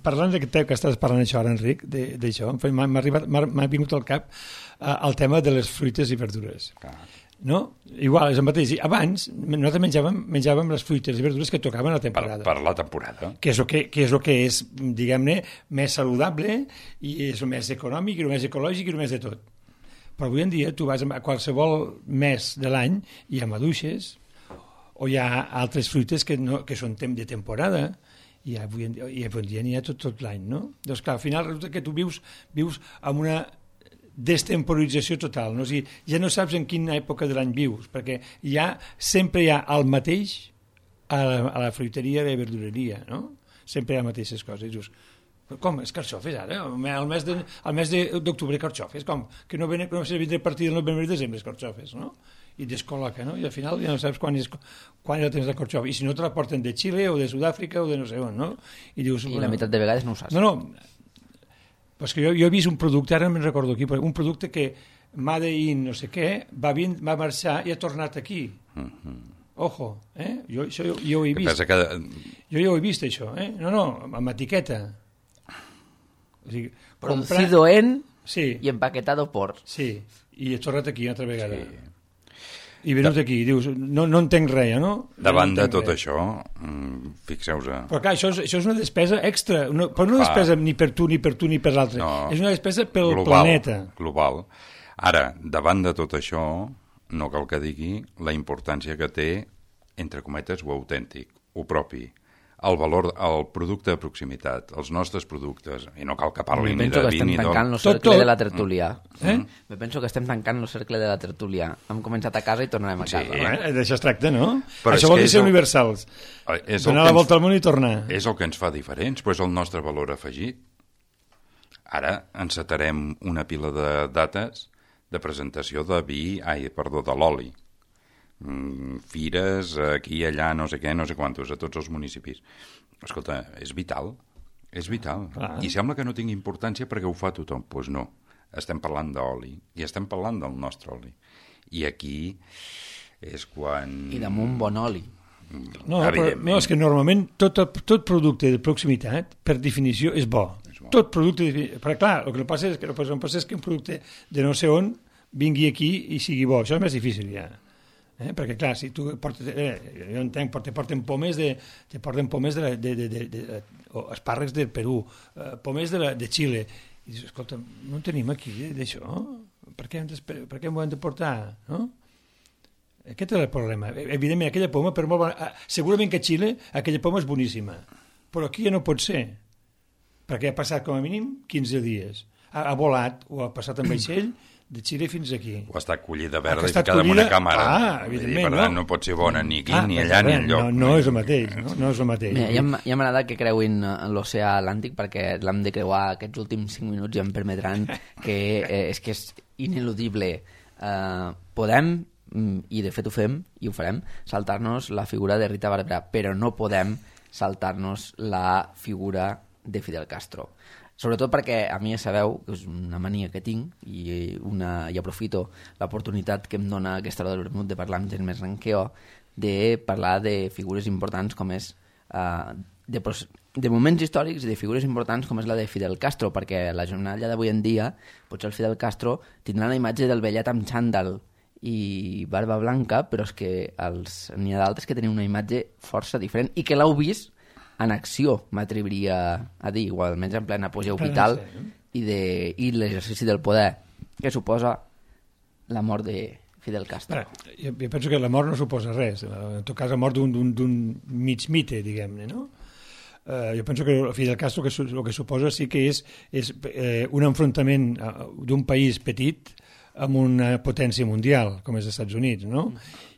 parlant de que, que estàs parlant això ara, Enric, d'això, m'ha vingut al cap uh, el tema de les fruites i verdures. Clar. No? Igual, és el mateix. Abans, nosaltres menjàvem, menjàvem les fruites i verdures que tocaven a la temporada.
Per, per la temporada.
Que és el que, que és, el que és, diguem-ne, més saludable i és el més econòmic i el més ecològic i el més de tot. Però avui en dia tu vas a qualsevol mes de l'any i hi ha maduixes o hi ha altres fruites que, no, que són de temporada i avui en dia, i avui en dia n'hi ha tot, tot l'any, no? Doncs clar, al final resulta que tu vius, vius amb una destemporització total, no? O sigui, ja no saps en quina època de l'any vius, perquè ja sempre hi ha el mateix a la, a la fruiteria i verdureria, no? Sempre hi ha les mateixes coses. I dius, com, és carxofes ara? El mes de, el mes d'octubre carxofes, com? Que no ven, no sé, vindré a partir del novembre i desembre carxofes, no? I descol·loca, no? I al final ja no saps quan és, quan és el temps de carxofa. I si no te la porten de Xile o de Sud-àfrica o de no sé on, no? I, dius,
I
bueno,
la meitat de vegades no ho saps.
No, no, pues que jo, jo he vist un producte, ara me'n recordo aquí, un producte que Made in no sé què, va, vin, va marxar i ha tornat aquí. Mm-hmm. Ojo, eh? Jo, això jo, jo ho he vist. Que... Jo ja ho he vist, això, eh? No, no, amb etiqueta. O sigui,
producido comprar... en
sí.
i empaquetado por.
Sí, i he tornat aquí una altra vegada. Sí. I venut de... aquí, dius, no, no entenc res, no?
Davant
no
de tot
res.
Això, fixeu-vos...
Però clar, això és, això és una despesa extra, no, però no una despesa ni per tu, ni per tu, ni per l'altre. No, és una despesa pel
global,
planeta.
Global. Ara, davant de tot això, no cal que digui la importància que té, entre cometes, ho autèntic, ho propi, el valor, el producte de proximitat, els nostres productes, i no cal que parli ni de vi ni d'or.
Me penso que estem tancant el cercle tot, tot. de la tertúlia. Eh? Me penso que estem tancant el cercle de la tertúlia. Hem començat a casa i tornarem a casa.
Sí, eh? D'això es tracta, no? Però això vol dir ser el... universals. Donar la volta ens... al món i tornar.
És el que ens fa diferents, però és el nostre valor afegit. Ara encetarem una pila de dates de presentació de vi, ai, perdó, de l'oli. Fires aquí i allà, no sé què, no sé quantos, a tots els municipis. Escolta, és vital, és vital. Ah. I sembla que no tingui importància perquè ho fa tothom. Doncs pues no, estem parlant d'oli i estem parlant del nostre oli. I aquí és quan...
I damunt bon oli.
No, però, no, és que normalment tot, tot producte de proximitat, per definició, és bo. És bo. Tot producte... De... Però clar, el que passa és que, el que passa és que un producte de no sé on vingui aquí i sigui bo. Això és més difícil, ja. Eh? Perquè, clar, si tu portes... Eh, jo entenc, te porten pomes de... Te porten pomes de... de, de, de, de o espàrrecs del Perú, eh, pomes de, la, de Xile. I dius, escolta, no en tenim aquí, d'això? Per què, hem de, per què m'ho hem de portar? No? Aquest és el problema. Evidentment, aquella poma, per molt bona, segurament que a Xile aquella poma és boníssima, però aquí ja no pot ser, perquè ha passat com a mínim quinze dies. Ha, ha volat o ha passat en vaixell de Xile fins aquí.
O està collida verda i ficada en una càmera.
Ah, evidentment,
per tant, no? no pot ser bona ni aquí,
ah,
ni allà, ni enlloc.
No, no és el mateix, no, no és el mateix.
Mira, ja m'ha agradat que creuin l'oceà Atlàntic perquè l'hem de creuar aquests últims cinc minuts i em permetran que eh, és que és ineludible. Eh, podem, i de fet ho fem, i ho farem, saltar-nos la figura de Rita Barberà, però no podem saltar-nos la figura de Fidel Castro. Sobretot perquè a mi ja sabeu que és una mania que tinc i, una, i aprofito l'oportunitat que em dona aquesta hora del vermut de parlar amb gent més gran que jo, de parlar de figures importants com és uh, de, de moments històrics i de figures importants com és la de Fidel Castro, perquè la jornada d'avui en dia potser el Fidel Castro tindrà la imatge del vellet amb xandall i barba blanca, però és que els... n'hi ha d'altres que tenen una imatge força diferent i que l'heu vist en acció, m'atreviria a dir, o almenys en plena apogeu vital i, de... i l'exercici del poder que suposa la mort de Fidel Castro.
Ara, jo, jo penso que la mort no suposa res, en tot cas la mort d'un mig mite, diguem-ne, no? Uh, jo penso que Fidel Castro que su, el que suposa sí que és, és eh, un enfrontament uh, d'un país petit amb una potència mundial, com és els Estats Units, no?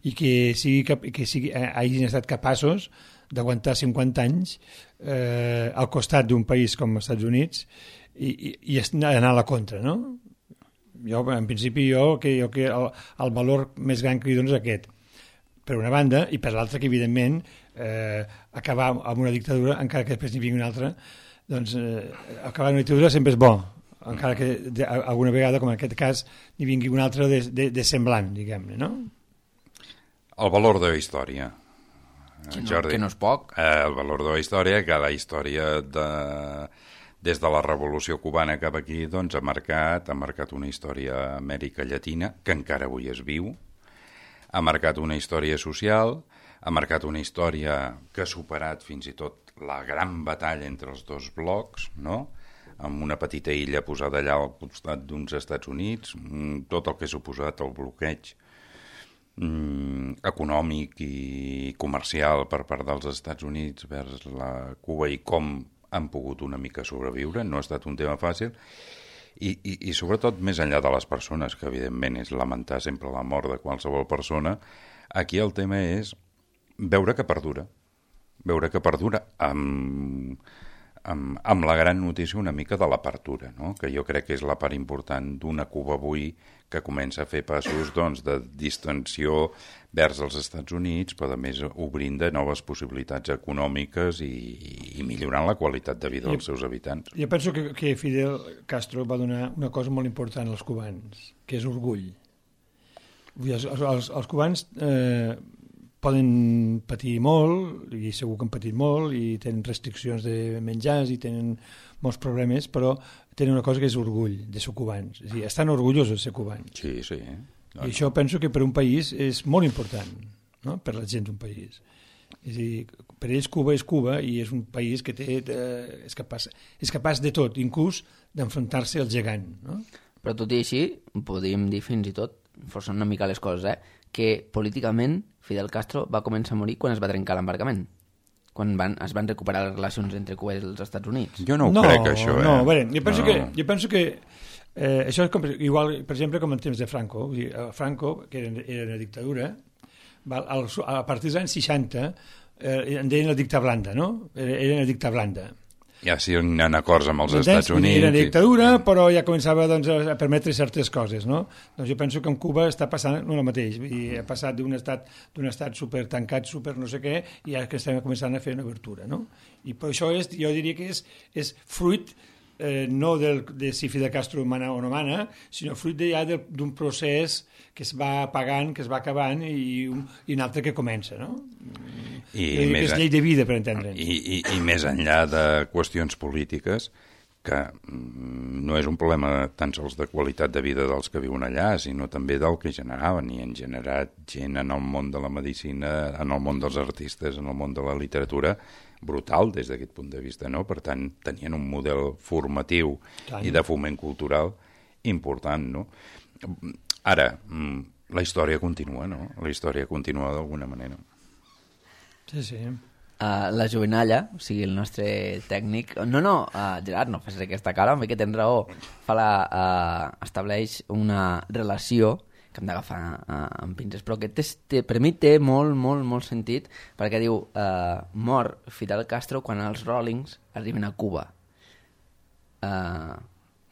I que, sigui, que sigui, eh, hagin estat capaços d'aguantar cinquanta anys eh, al costat d'un país com els Estats Units i, i, i anar a la contra, no? Jo, en principi, jo, que, jo que el, el valor més gran que li dono és aquest, per una banda, i per l'altra que, evidentment, eh, acabar amb una dictadura, encara que després n'hi vingui una altra, doncs eh, acabar amb una dictadura sempre és bo, encara que de, alguna vegada, com en aquest cas, n'hi vingui una altra de, de, de semblant, diguem-ne, no?
El valor de la història,
que no,
Jordi.
Que no és poc.
Eh, el valor de la història, que la història de... des de la Revolució Cubana cap aquí, doncs ha marcat, ha marcat una història a Amèrica Llatina, que encara avui es viu, ha marcat una història social, ha marcat una història que ha superat fins i tot la gran batalla entre els dos blocs, no?, amb una petita illa posada allà al costat d'uns Estats Units, tot el que ha suposat el bloqueig mm, econòmic i comercial per part dels Estats Units vers la Cuba i com han pogut una mica sobreviure, no ha estat un tema fàcil, i, i, i sobretot més enllà de les persones, que evidentment és lamentar sempre la mort de qualsevol persona, aquí el tema és veure que perdura, veure que perdura amb, amb, amb la gran notícia una mica de l'apertura, no? Que jo crec que és la part important d'una Cuba avui que comença a fer passos doncs, de distensió vers els Estats Units, però a més obrint de noves possibilitats econòmiques i, i millorant la qualitat de vida dels seus habitants.
Jo penso que, que Fidel Castro va donar una cosa molt important als cubans, que és orgull. Els, els, els cubans eh, poden patir molt, i segur que han patit molt, i tenen restriccions de menjars, i tenen molts problemes, però tenen una cosa que és orgull de ser cubans. És a dir, estan orgullosos de ser cubans.
Sí, sí.
I això penso que per un país és molt important, no?, per la gent d'un país. És a dir, per ells Cuba és Cuba i és un país que té, eh, és, capaç, és capaç de tot, inclús d'enfrontar-se al gegant, no?
Però tot i així, podríem dir fins i tot, forçant una mica les coses, eh, que políticament Fidel Castro va començar a morir quan es va trencar l'embarcament, quan van, es van recuperar les relacions entre Cuba i els Estats Units.
Jo no ho
no,
crec, això. Eh?
No, a veure, jo penso
no.
que... Jo penso que Eh, això és com, igual, per exemple, com en temps de Franco. Vull dir, Franco, que era, era una dictadura, va, al, a partir dels anys seixanta eh, en deien la dicta blanda, no? Era, era una dicta blanda.
Ja sí, en acords amb els
Entens?
Estats Units.
Era una dictadura, i... però ja començava doncs, a permetre certes coses, no? Doncs jo penso que en Cuba està passant el mateix. I ha passat d'un estat, d'un estat super tancat, super no sé què, i ara que estem començant a fer una obertura, no? I per això és, jo diria que és, és fruit Eh, no del, de si Fidel Castro mana o no mana, sinó fruit de, ja d'un procés que es va apagant, que es va acabant i un, i un altre que comença, no? I, I més, és llei de vida, per entendre'ns.
I, i, I més enllà de qüestions polítiques, que no és un problema tan sols de qualitat de vida dels que viuen allà, sinó també del que generaven, i han generat gent en el món de la medicina, en el món dels artistes, en el món de la literatura, brutal des d'aquest punt de vista, no? Per tant, tenien un model formatiu Tant. i de foment cultural important, no? Ara, la història continua, no? La història continua d'alguna manera.
Sí, sí.
Uh, la Jovenalla, o sigui, el nostre tècnic... No, no, uh, Gerard, no facis aquesta cara, home, que tens raó. Fa la, uh, estableix una relació que hem d'agafar uh, amb pinces, però que té, té, per mi té molt, molt, molt sentit, perquè diu, uh, mor Fidel Castro quan els Rollings arriben a Cuba. Uh,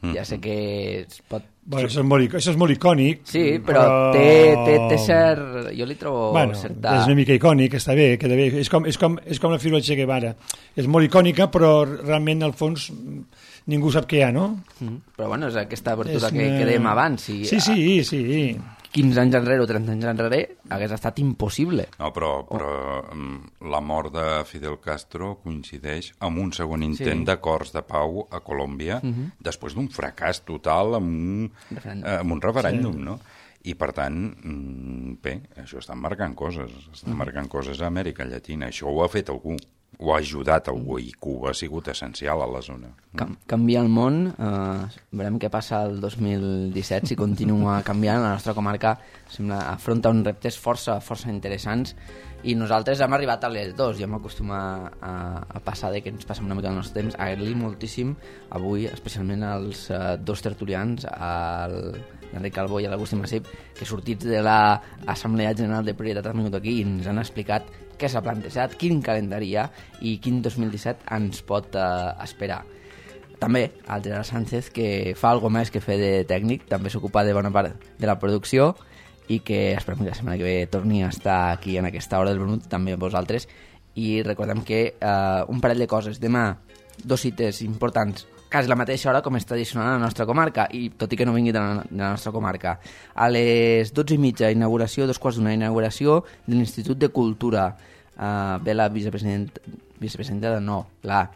mm. Ja sé que es pot...
Bueno, això, és molt, això és molt icònic.
Sí, però, però... Té, té, té cert... Jo li trobo
bueno,
certa...
És una mica icònic, està bé, queda bé. És com, és com, és com la figura de Che Guevara. És molt icònica, però realment, al fons, ningú sap què hi ha, no?
Mm. Però bueno, és aquesta abertura
És
que,
una...
que dèiem abans. Si,
sí, sí, sí.
quinze anys enrere o trenta anys enrere hagués estat impossible.
No, però, però oh. la mort de Fidel Castro coincideix amb un segon intent sí. d'acords de pau a Colòmbia uh -huh. després d'un fracàs total amb un referèndum, eh, amb un referèndum sí. no? I, per tant, bé, això estan marcant coses, estan marcant coses a Amèrica Llatina. Això ho ha fet algú, ho ha ajudat algú, i Cuba ha sigut essencial a la zona.
Cam canvia el món, eh, veurem què passa el dos mil disset, si continua canviant. La nostra comarca sembla afronta uns reptes força, força interessants, i nosaltres hem arribat a les dues, ja m'acostuma a, a passar de que ens passem una mica el nostre temps. Agrair-li moltíssim avui, especialment als uh, dos tertulians, al l'Enric Calbó i l'Agustí Massip, que sortits de l'Assemblea General de Prioritat han vingut aquí i ens han explicat què s'ha plantejat, quin calendari hi ha i quin dos mil disset ens pot uh, esperar. També al Gerard Sánchez, que fa alguna més que fer de tècnic, també s'ocupa de bona part de la producció, i que esperem que la setmana que ve torni a estar aquí en aquesta hora del vermut, també vosaltres. I recordem que eh, un parell de coses. Demà, dos cites importants, quasi la mateixa hora com és tradicional a la nostra comarca, i tot i que no vingui de la, de la nostra comarca. A les dotze i mitja, inauguració, dos quarts d'una, inauguració de l'Institut de Cultura. Eh, ve la vicepresident, vicepresidenta de no, la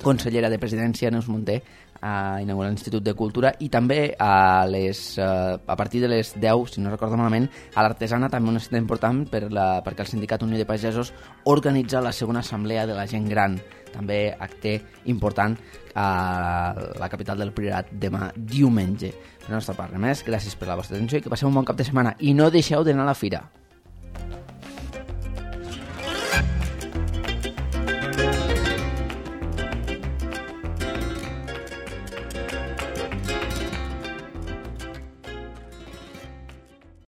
consellera de Presidència, Neus Munté, a inaugurar l'Institut de Cultura, i també a, les, uh, a partir de les deu, si no recordo malament, a l'Artesana, també una cita important per la, perquè el Sindicat Unió de Pagesos organitza la segona assemblea de la gent gran, també acte important a la capital del Priorat demà diumenge. Per la nostra part, res més, gràcies per la vostra atenció i que passeu un bon cap de setmana, i no deixeu d'anar a la fira.